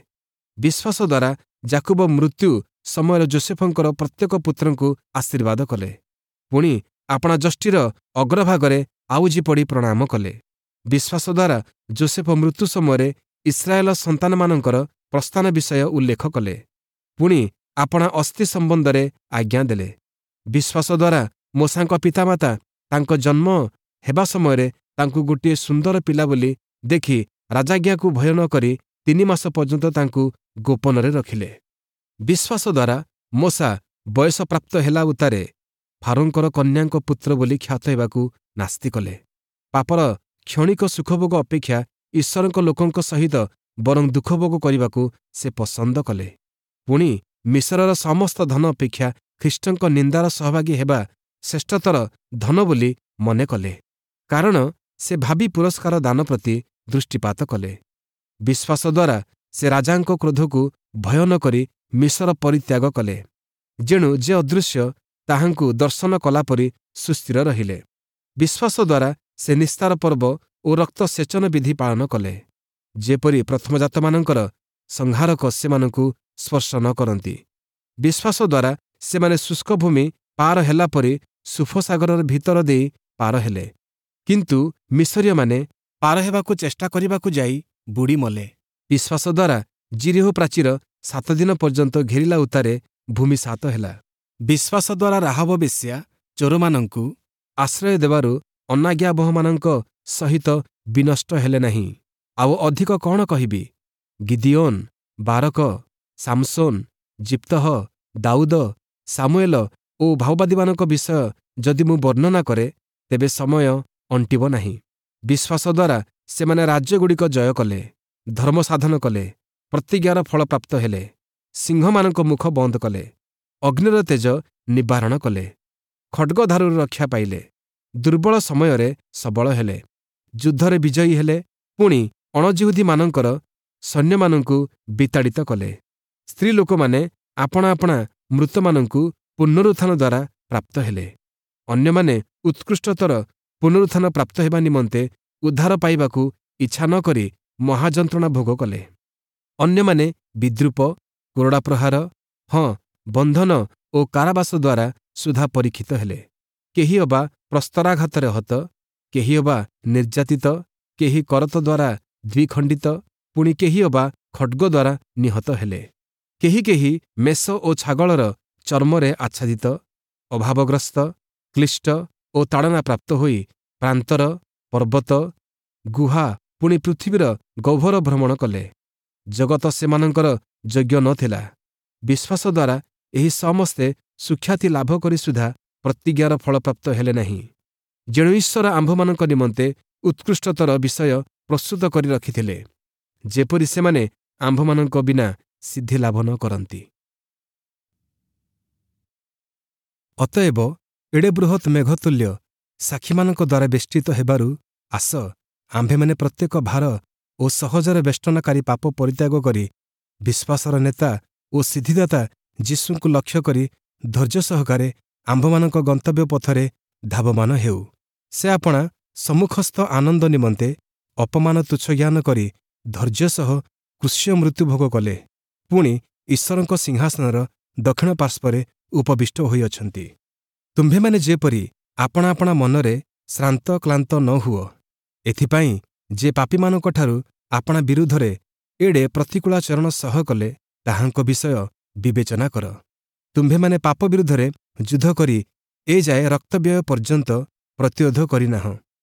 ବିଶ୍ୱାସ ଦ୍ୱାରା ଯାକୁବ ମୃତ୍ୟୁ ସମୟରେ ଯୋସେଫଙ୍କର ପ୍ରତ୍ୟେକ ପୁତ୍ରଙ୍କୁ ଆଶୀର୍ବାଦ କଲେ। ପୁଣି ଆପଣା ଯଷ୍ଟିର ଅଗ୍ରଭାଗରେ ଆଉଜି ପଡ଼ି ପ୍ରଣାମ କଲେ। ବିଶ୍ୱାସ ଦ୍ୱାରା ଯୋସେଫ ମୃତ୍ୟୁ ସମୟରେ ଇସ୍ରାଏଲ ସନ୍ତାନମାନଙ୍କର ପ୍ରସ୍ଥାନ ବିଷୟ ଉଲ୍ଲେଖ କଲେ। ପୁଣି ଆପଣା ଅସ୍ଥି ସମ୍ବନ୍ଧରେ ଆଜ୍ଞା ଦେଲେ। ବିଶ୍ୱାସ ଦ୍ୱାରା ମୋଶାଙ୍କ ପିତାମାତା ତାଙ୍କ ଜନ୍ମ ହେବା ସମୟରେ ତାଙ୍କୁ ଗୋଟିଏ ସୁନ୍ଦର ପିଲା ବୋଲି ଦେଖି ରାଜାଜ୍ଞାକୁ ଭୟ ନ କରି ତିନି ମାସ ପର୍ଯ୍ୟନ୍ତ ତାଙ୍କୁ ଗୋପନରେ ରଖିଲେ। ବିଶ୍ୱାସ ଦ୍ୱାରା ମୋଶା ବୟସପ୍ରାପ୍ତ ହେଲା ଉତ୍ତାରେ ଫାରୋଙ୍କର କନ୍ୟାଙ୍କ ପୁତ୍ର ବୋଲି ଖ୍ୟାତ ହେବାକୁ ନାସ୍ତି କଲେ। ପାପର କ୍ଷଣିକ ସୁଖଭୋଗ ଅପେକ୍ଷା ଈଶ୍ୱରଙ୍କ ଲୋକଙ୍କ ସହିତ ବରଂ ଦୁଃଖଭୋଗ କରିବାକୁ ସେ ପସନ୍ଦ କଲେ। ପୁଣି ମିଶରର ସମସ୍ତ ଧନ ଅପେକ୍ଷା ଖ୍ରୀଷ୍ଟଙ୍କ ନିନ୍ଦାର ସହଭାଗୀ ହେବା ଶ୍ରେଷ୍ଠତର ଧନ ବୋଲି ମନେ କଲେ, କାରଣ ସେ ଭାବି ପୁରସ୍କାର ଦାନ ପ୍ରତି ଦୃଷ୍ଟିପାତ କଲେ। ବିଶ୍ୱାସ ଦ୍ୱାରା ସେ ରାଜାଙ୍କ କ୍ରୋଧକୁ ଭୟ ନ କରି ମିଶର ପରିତ୍ୟାଗ କଲେ, ଯେଣୁ ଯେ ଅଦୃଶ୍ୟ ତାହାଙ୍କୁ ଦର୍ଶନ କଲାପରି ସୁସ୍ଥିର ରହିଲେ। ବିଶ୍ୱାସ ଦ୍ୱାରା ସେ ନିସ୍ତାର ପର୍ବ ଓ ରକ୍ତ ସେଚନ ବିଧି ପାଳନ କଲେ, ଯେପରି ପ୍ରଥମଜାତମାନଙ୍କର ସଂହାରକ ସେମାନଙ୍କୁ ସ୍ପର୍ଶ ନ କରନ୍ତି। ବିଶ୍ୱାସ ଦ୍ୱାରା ସେମାନେ ଶୁଷ୍କ ଭୂମି ପାର ହେଲା ପରି ସୁଫସାଗରର ଭିତର ଦେଇ ପାର ହେଲେ, କିନ୍ତୁ ମିଶରୀୟମାନେ ପାର ହେବାକୁ ଚେଷ୍ଟା କରିବାକୁ ଯାଇ ବୁଡ଼ି ମଲେ। ବିଶ୍ୱାସ ଦ୍ୱାରା ଯିରୀହୋ ପ୍ରାଚୀର ସାତ ଦିନ ପର୍ଯ୍ୟନ୍ତ ଘେରିଲା ଉତ୍ତାରେ ଭୂମି ସାତ ହେଲା। ବିଶ୍ୱାସ ଦ୍ୱାରା ରାହାବ ବେଶ୍ୟା ଚୋରମାନଙ୍କୁ ଆଶ୍ରୟ ଦେବାରୁ ଅନାଜ୍ଞାବହମାନଙ୍କ ସହିତ ବିନଷ୍ଟ ହେଲେ ନାହିଁ। ଆଉ ଅଧିକ କ'ଣ କହିବି? ଗିଦିଓନ୍, ବାରକ, ସାମସୋନ୍, ଜିପ୍ତହ, ଦାଉଦ, ସାମୁଏଲ ଓ ଭାଓବାଦୀମାନଙ୍କ ବିଷୟ ଯଦି ମୁଁ ବର୍ଣ୍ଣନା କରେ, ତେବେ ସମୟ ଅଣ୍ଟିବ ନାହିଁ। ବିଶ୍ୱାସ ଦ୍ୱାରା ସେମାନେ ରାଜ୍ୟଗୁଡ଼ିକ ଜୟ କଲେ, ଧର୍ମ ସାଧନ କଲେ, ପ୍ରତିଜ୍ଞାର ଫଳ ପ୍ରାପ୍ତ ହେଲେ, ସିଂହମାନଙ୍କ ମୁଖ ବନ୍ଦ କଲେ, ଅଗ୍ନିର ତେଜ ନିବାରଣ କଲେ, ଖଡ଼୍ଗଧାରୁରୁ ରକ୍ଷା ପାଇଲେ, ଦୁର୍ବଳ ସମୟରେ ସବଳ ହେଲେ, ଯୁଦ୍ଧରେ ବିଜୟୀ ହେଲେ, ପୁଣି ଅଣଜିହୁଦୀମାନଙ୍କର ସୈନ୍ୟମାନଙ୍କୁ ବିତାଡ଼ିତ କଲେ। ସ୍ତ୍ରୀ ଲୋକମାନେ ଆପଣା ଆପଣା ମୃତମାନଙ୍କୁ ପୁନରୁତ୍ଥାନ ଦ୍ୱାରା ପ୍ରାପ୍ତ ହେଲେ। ଅନ୍ୟମାନେ ଉତ୍କୃଷ୍ଟତର ପୁନରୁତ୍ଥାନ ପ୍ରାପ୍ତ ହେବା ନିମନ୍ତେ ଉଦ୍ଧାର ପାଇବାକୁ ଇଚ୍ଛା ନ କରି ମହାଯନ୍ତ୍ରଣା ଭୋଗ କଲେ। ଅନ୍ୟମାନେ ବିଦ୍ରୂପ, କୋରଡ଼ା ପ୍ରହାର, ହଁ ବନ୍ଧନ ଓ କାରାବାସ ଦ୍ୱାରା ସୁଦ୍ଧା ପରୀକ୍ଷିତ ହେଲେ। କେହି ଅବା ପ୍ରସ୍ତରାଘାତରେ ହତ, କେହି ଅବା ନିର୍ଯାତିତ, କେହି କରତ ଦ୍ୱାରା ଦ୍ୱିଖଣ୍ଡିତ, ପୁଣି କେହି ଅବା ଖଡ଼୍ଗ ଦ୍ୱାରା ନିହତ ହେଲେ। କେହି କେହି ମେଷ ଓ ଛାଗଳର ଚର୍ମରେ ଆଚ୍ଛାଦିତ, ଅଭାବଗ୍ରସ୍ତ, କ୍ଳିଷ୍ଟ ଓ ତାଡ଼ନା ପ୍ରାପ୍ତ ହୋଇ ପ୍ରାନ୍ତର, ପର୍ବତ, ଗୁହା ପୁଣି ପୃଥିବୀର ଗହ୍ୱର ଭ୍ରମଣ କଲେ। ଜଗତ ସେମାନଙ୍କର ଯୋଗ୍ୟ ନ ଥିଲା। ବିଶ୍ୱାସ ଦ୍ୱାରା ଏହି ସମସ୍ତେ ସୁଖ୍ୟାତି ଲାଭ କରି ସୁଦ୍ଧା ପ୍ରତିଜ୍ଞାର ଫଳପ୍ରାପ୍ତ ହେଲେ ନାହିଁ। ଯେଣୁ ଈଶ୍ୱର ଆମ୍ଭମାନଙ୍କ ନିମନ୍ତେ ଉତ୍କୃଷ୍ଟତର ବିଷୟ ପ୍ରସ୍ତୁତ କରି ରଖିଥିଲେ, ଯେପରି ସେମାନେ ଆମ୍ଭମାନଙ୍କ ବିନା ସିଦ୍ଧି ଲାଭ ନ କରନ୍ତି। ଅତଏବ ଏଡ଼େ ବୃହତ୍ ମେଘତୁଲ୍ୟ ସାକ୍ଷୀମାନଙ୍କ ଦ୍ୱାରା ବେଷ୍ଟିତ ହେବାରୁ ଆସ, ଆମ୍ଭେମାନେ ପ୍ରତ୍ୟେକ ଭାର ଓ ସହଜରେ ବେଷ୍ଟନକାରୀ ପାପ ପରିତ୍ୟାଗ କରି ବିଶ୍ୱାସର ନେତା ଓ ସିଦ୍ଧିଦାତା ଯୀଶୁଙ୍କୁ ଲକ୍ଷ୍ୟ କରି ଧୈର୍ଯ୍ୟ ସହକାରେ ଆମ୍ଭମାନଙ୍କ ଗନ୍ତବ୍ୟ ପଥରେ ଧାବମାନ ହେଉ। ସେ ଆପଣା ସମ୍ମୁଖସ୍ଥ ଆନନ୍ଦ ନିମନ୍ତେ ଅପମାନ ତୁଚ୍ଛ ଜ୍ଞାନ କରି ଧୈର୍ଯ୍ୟ ସହ କ୍ରୁଶୀୟ ମୃତ୍ୟୁ ଭୋଗ କଲେ, ପୁଣି ଈଶ୍ୱରଙ୍କ ସିଂହାସନର ଦକ୍ଷିଣ ପାର୍ଶ୍ୱରେ ଉପବିଷ୍ଟ ହୋଇଅଛନ୍ତି। ତୁମ୍ଭେମାନେ ଯେପରି ଆପଣା ଆପଣା ମନରେ ଶ୍ରାନ୍ତ କ୍ଳାନ୍ତ ନ ହୁଅ, ଏଥିପାଇଁ ଯେ ପାପୀମାନଙ୍କଠାରୁ ଆପଣା ବିରୁଦ୍ଧରେ ଏଡ଼େ ପ୍ରତିକୂଳାଚରଣ ସହ କଲେ, ତାହାଙ୍କ ବିଷୟ ବିବେଚନା କର। ତୁମ୍ଭେମାନେ ପାପ ବିରୁଦ୍ଧରେ ଯୁଦ୍ଧ କରି ଏଯାଏ ରକ୍ତବ୍ୟୟ ପର୍ଯ୍ୟନ୍ତ ପ୍ରତିରୋଧ କରିନାହଁ।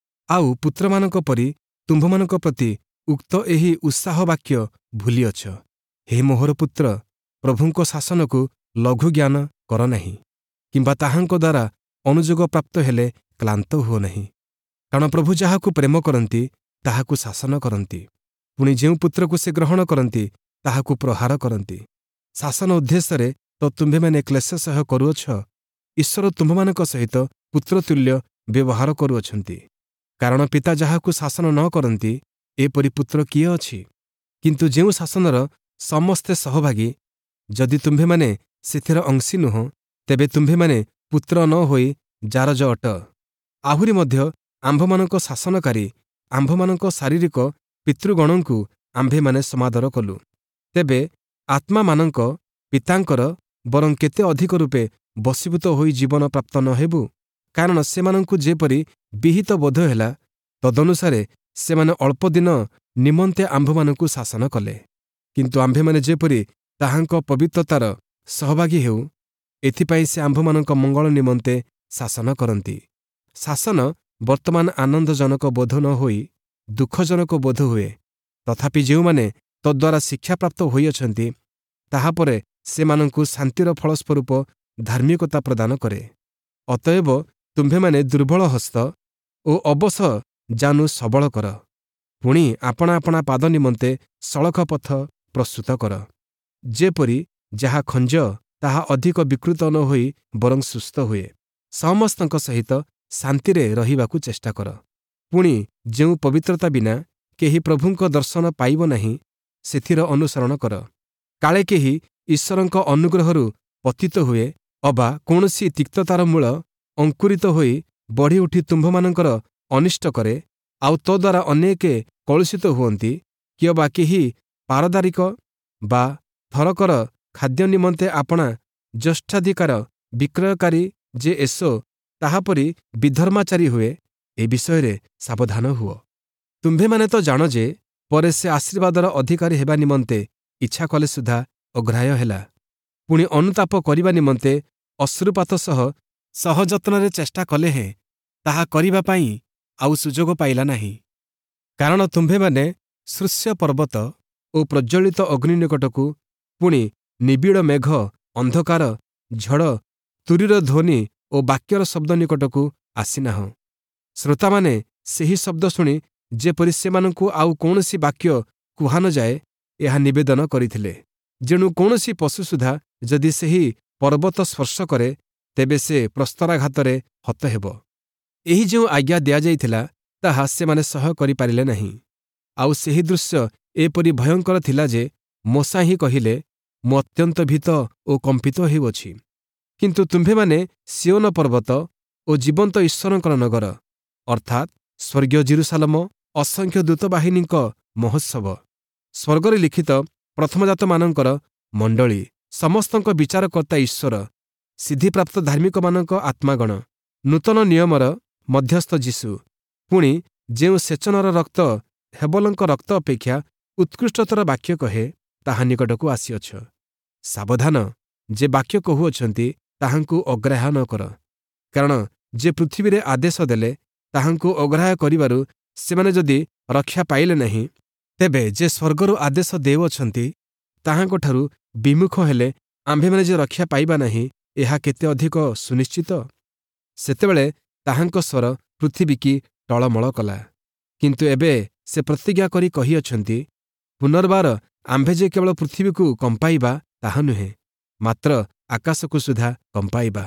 ଆଉ ପୁତ୍ରମାନଙ୍କ ପରି ତୁମ୍ଭମାନଙ୍କ ପ୍ରତି ଉକ୍ତ ଏହି ଉତ୍ସାହ ବାକ୍ୟ ଭୁଲିଅଛ, ହେ ମୋହର ପୁତ୍ର, ପ୍ରଭୁଙ୍କ ଶାସନକୁ ଲଘୁ ଜ୍ଞାନ କର ନାହିଁ, କିମ୍ବା ତାହାଙ୍କ ଦ୍ୱାରା ଅନୁଯୋଗ ପ୍ରାପ୍ତ ହେଲେ କ୍ଳାନ୍ତ ହୁଅ ନାହିଁ। କାରଣ ପ୍ରଭୁ ଯାହାକୁ ପ୍ରେମ କରନ୍ତି, ତାହାକୁ ଶାସନ କରନ୍ତି, ପୁଣି ଯେଉଁ ପୁତ୍ରକୁ ସେ ଗ୍ରହଣ କରନ୍ତି, ତାହାକୁ ପ୍ରହାର କରନ୍ତି। ଶାସନ ଉଦ୍ଦେଶ୍ୟରେ ତ ତୁମ୍ଭେମାନେ କ୍ଲେଶ ସହ୍ୟ କରୁଅଛ, ଈଶ୍ୱର ତୁମ୍ଭମାନଙ୍କ ସହିତ ପୁତ୍ରତୁଲ୍ୟ ବ୍ୟବହାର କରୁଅଛନ୍ତି। କାରଣ ପିତା ଯାହାକୁ ଶାସନ ନ କରନ୍ତି, ଏପରି ପୁତ୍ର କିଏ ଅଛି? କିନ୍ତୁ ଯେଉଁ ଶାସନର ସମସ୍ତେ ସହଭାଗୀ, ଯଦି ତୁମ୍ଭେମାନେ ସେଥିର ଅଂଶୀ ନୁହଁ, ତେବେ ତୁମ୍ଭେମାନେ ପୁତ୍ର ନ ହୋଇ ଜାରଜ ଅଟ। ଆହୁରି ମଧ୍ୟ ଆମ୍ଭମାନଙ୍କ ଶାସନକାରୀ ଆମ୍ଭମାନଙ୍କ ଶାରୀରିକ ପିତୃଗଣଙ୍କୁ ଆମ୍ଭେମାନେ ସମାଦର କଲୁ, ତେବେ ଆତ୍ମାମାନଙ୍କ ପିତାଙ୍କର ବରଂ କେତେ ଅଧିକ ରୂପେ ବଶୀଭୂତ ହୋଇ ଜୀବନ ପ୍ରାପ୍ତ ନ ହେବୁ? କାରଣ ସେମାନଙ୍କୁ ଯେପରି ବିହିତ ବୋଧ ହେଲା, ତଦନୁସାରେ ସେମାନେ ଅଳ୍ପଦିନ ନିମନ୍ତେ ଆମ୍ଭମାନଙ୍କୁ ଶାସନ କଲେ। କିନ୍ତୁ ଆମ୍ଭେମାନେ ଯେପରି ତାହାଙ୍କ ପବିତ୍ରତାର ସହଭାଗୀ ହେଉ, ଏଥିପାଇଁ ସେ ଆମ୍ଭମାନଙ୍କ ମଙ୍ଗଳ ନିମନ୍ତେ ଶାସନ କରନ୍ତି। ଶାସନ ବର୍ତ୍ତମାନ ଆନନ୍ଦଜନକ ବୋଧ ନ ହୋଇ ଦୁଃଖଜନକ ବୋଧ ହୁଏ, ତଥାପି ଯେଉଁମାନେ ତଦ୍ୱାରା ଶିକ୍ଷାପ୍ରାପ୍ତ ହୋଇଅଛନ୍ତି, ତାହାପରେ ସେମାନଙ୍କୁ ଶାନ୍ତିର ଫଳସ୍ୱରୂପ ଧାର୍ମିକତା ପ୍ରଦାନ କରେ। ଅତଏବ ତୁମ୍ଭେମାନେ ଦୁର୍ବଳ ହସ୍ତ ଓ ଅବଶ ଜାନୁ ସବଳ କର, ପୁଣି ଆପଣା ଆପଣା ପାଦ ନିମନ୍ତେ ସଳଖ ପଥ ପ୍ରସ୍ତୁତ କର, ଯେପରି ଯାହା ଖଞ୍ଜ ତାହା ଅଧିକ ବିକୃତ ନ ହୋଇ ବରଂ ସୁସ୍ଥ ହୁଏ। ସମସ୍ତଙ୍କ ସହିତ ଶାନ୍ତିରେ ରହିବାକୁ ଚେଷ୍ଟା କର, ପୁଣି ଯେଉଁ ପବିତ୍ରତା ବିନା କେହି ପ୍ରଭୁଙ୍କ ଦର୍ଶନ ପାଇବ ନାହିଁ, ସେଥିର ଅନୁସରଣ କର। କାଳେ କେହି ଈଶ୍ୱରଙ୍କ ଅନୁଗ୍ରହରୁ ପତିତ ହୁଏ ଅବା କୌଣସି ତିକ୍ତତାର ମୂଳ ଅଙ୍କୁରିତ ହୋଇ ବଢ଼ିଉଠି ତୁମ୍ଭମାନଙ୍କର ଅନିଷ୍ଟ କରେ, ଆଉ ତଦ୍ୱାରା ଅନେକେ କଳୁଷିତ ହୁଅନ୍ତି, କିଅବା କେହି ପାରଦାରିକ ବା ଥରକର ଖାଦ୍ୟ ନିମନ୍ତେ ଆପଣା ଜ୍ୟେଷ୍ଠାଧିକାର ବିକ୍ରୟକାରୀ ଯେ ଏସୋ ତାହାପରି ବିଧର୍ମାଚାରୀ ହୁଏ, ଏ ବିଷୟରେ ସାବଧାନ ହୁଅ। ତୁମ୍ଭେମାନେ ତ ଜାଣ ଯେ ପରେ ସେ ଆଶୀର୍ବାଦର ଅଧିକାରୀ ହେବା ନିମନ୍ତେ ଇଚ୍ଛା କଲେ ସୁଦ୍ଧା ଅଗ୍ରାହ୍ୟ ହେଲା, ପୁଣି ଅନୁତାପ କରିବା ନିମନ୍ତେ ଅଶ୍ରୁପାତ ସହ ସହଯତ୍ନରେ ଚେଷ୍ଟା କଲେ ହେଁ ତାହା କରିବା ପାଇଁ ଆଉ ସୁଯୋଗ ପାଇଲା ନାହିଁ। କାରଣ ତୁମ୍ଭେମାନେ ସୃଶ୍ୟ ପର୍ବତ ଓ ପ୍ରଜ୍ୱଳିତ ଅଗ୍ନି ନିକଟକୁ, ପୁଣି ନିବିଡ଼ ମେଘ, ଅନ୍ଧକାର, ଝଡ଼, ତୂରୀର ଧ୍ୱନି ଓ ବାକ୍ୟର ଶବ୍ଦ ନିକଟକୁ ଆସିନାହଁ। ଶ୍ରୋତାମାନେ ସେହି ଶବ୍ଦ ଶୁଣି ଯେପରି ସେମାନଙ୍କୁ ଆଉ କୌଣସି ବାକ୍ୟ କୁହା ନଯାଏ, ଏହା ନିବେଦନ କରିଥିଲେ। ଯେଣୁ କୌଣସି ପଶୁ ସୁଦ୍ଧା ଯଦି ସେହି ପର୍ବତ ସ୍ପର୍ଶ କରେ, ତେବେ ସେ ପ୍ରସ୍ତରାଘାତରେ ହତ ହେବ। ଏହି ଯେଉଁ ଆଜ୍ଞା ଦିଆଯାଇଥିଲା, ତାହା ସେମାନେ ସହ୍ୟ କରିପାରିଲେ ନାହିଁ। ଆଉ ସେହି ଦୃଶ୍ୟ ଏପରି ଭୟଙ୍କର ଥିଲା ଯେ ମୋଶା ହିଁ କହିଲେ, ମୁଁ ଅତ୍ୟନ୍ତ ଭୀତ ଓ କମ୍ପିତ ହେଉଅଛି। କିନ୍ତୁ ତୁମ୍ଭେମାନେ ସିୟୋନ ପର୍ବତ ଓ ଜୀବନ୍ତ ଈଶ୍ୱରଙ୍କର ନଗର, ଅର୍ଥାତ୍ ସ୍ୱର୍ଗୀୟ ଯିରୂଶାଲମ, ଅସଂଖ୍ୟ ଦୂତବାହିନୀଙ୍କ ମହୋତ୍ସବ, ସ୍ୱର୍ଗରେ ଲିଖିତ ପ୍ରଥମଜାତମାନଙ୍କର ମଣ୍ଡଳୀ, ସମସ୍ତଙ୍କ ବିଚାରକର୍ତ୍ତା ଈଶ୍ୱର, ସିଦ୍ଧିପ୍ରାପ୍ତ ଧାର୍ମିକମାନଙ୍କ ଆତ୍ମାଗଣ, ନୂତନ ନିୟମର ମଧ୍ୟସ୍ଥ ଯୀଶୁ, ପୁଣି ଯେଉଁ ସେଚନର ରକ୍ତ ହେବଲଙ୍କ ରକ୍ତ ଅପେକ୍ଷା ଉତ୍କୃଷ୍ଟତର ବାକ୍ୟ କହେ, ତାହା ନିକଟକୁ ଆସିଅଛ। ସାବଧାନ, ଯେ ବାକ୍ୟ କହୁଅଛନ୍ତି ତାହାଙ୍କୁ ଅଗ୍ରାହ୍ୟ ନ କର। କାରଣ ଯେ ପୃଥିବୀରେ ଆଦେଶ ଦେଲେ, ତାହାଙ୍କୁ ଅଗ୍ରାହ୍ୟ କରିବାରୁ ସେମାନେ ଯଦି ରକ୍ଷା ପାଇଲେ ନାହିଁ, ତେବେ ଯେ ସ୍ୱର୍ଗରୁ ଆଦେଶ ଦେଉଅଛନ୍ତି ତାହାଙ୍କଠାରୁ ବିମୁଖ ହେଲେ ଆମ୍ଭେମାନେ ଯେ ରକ୍ଷା ପାଇବା ନାହିଁ, ଏହା କେତେ ଅଧିକ ସୁନିଶ୍ଚିତ। ସେତେବେଳେ ତାହାଙ୍କ ସ୍ୱର ପୃଥିବୀକି ଟଳମଳ କଲା। କିନ୍ତୁ ଏବେ ସେ ପ୍ରତିଜ୍ଞା କରି କହିଅଛନ୍ତି, ପୁନର୍ବାର ଆମ୍ଭେ ଯେ କେବଳ ପୃଥିବୀକୁ କମ୍ପାଇବା ତାହା ନୁହେଁ, ମାତ୍ର ଆକାଶକୁ ସୁଦ୍ଧା କମ୍ପାଇବା।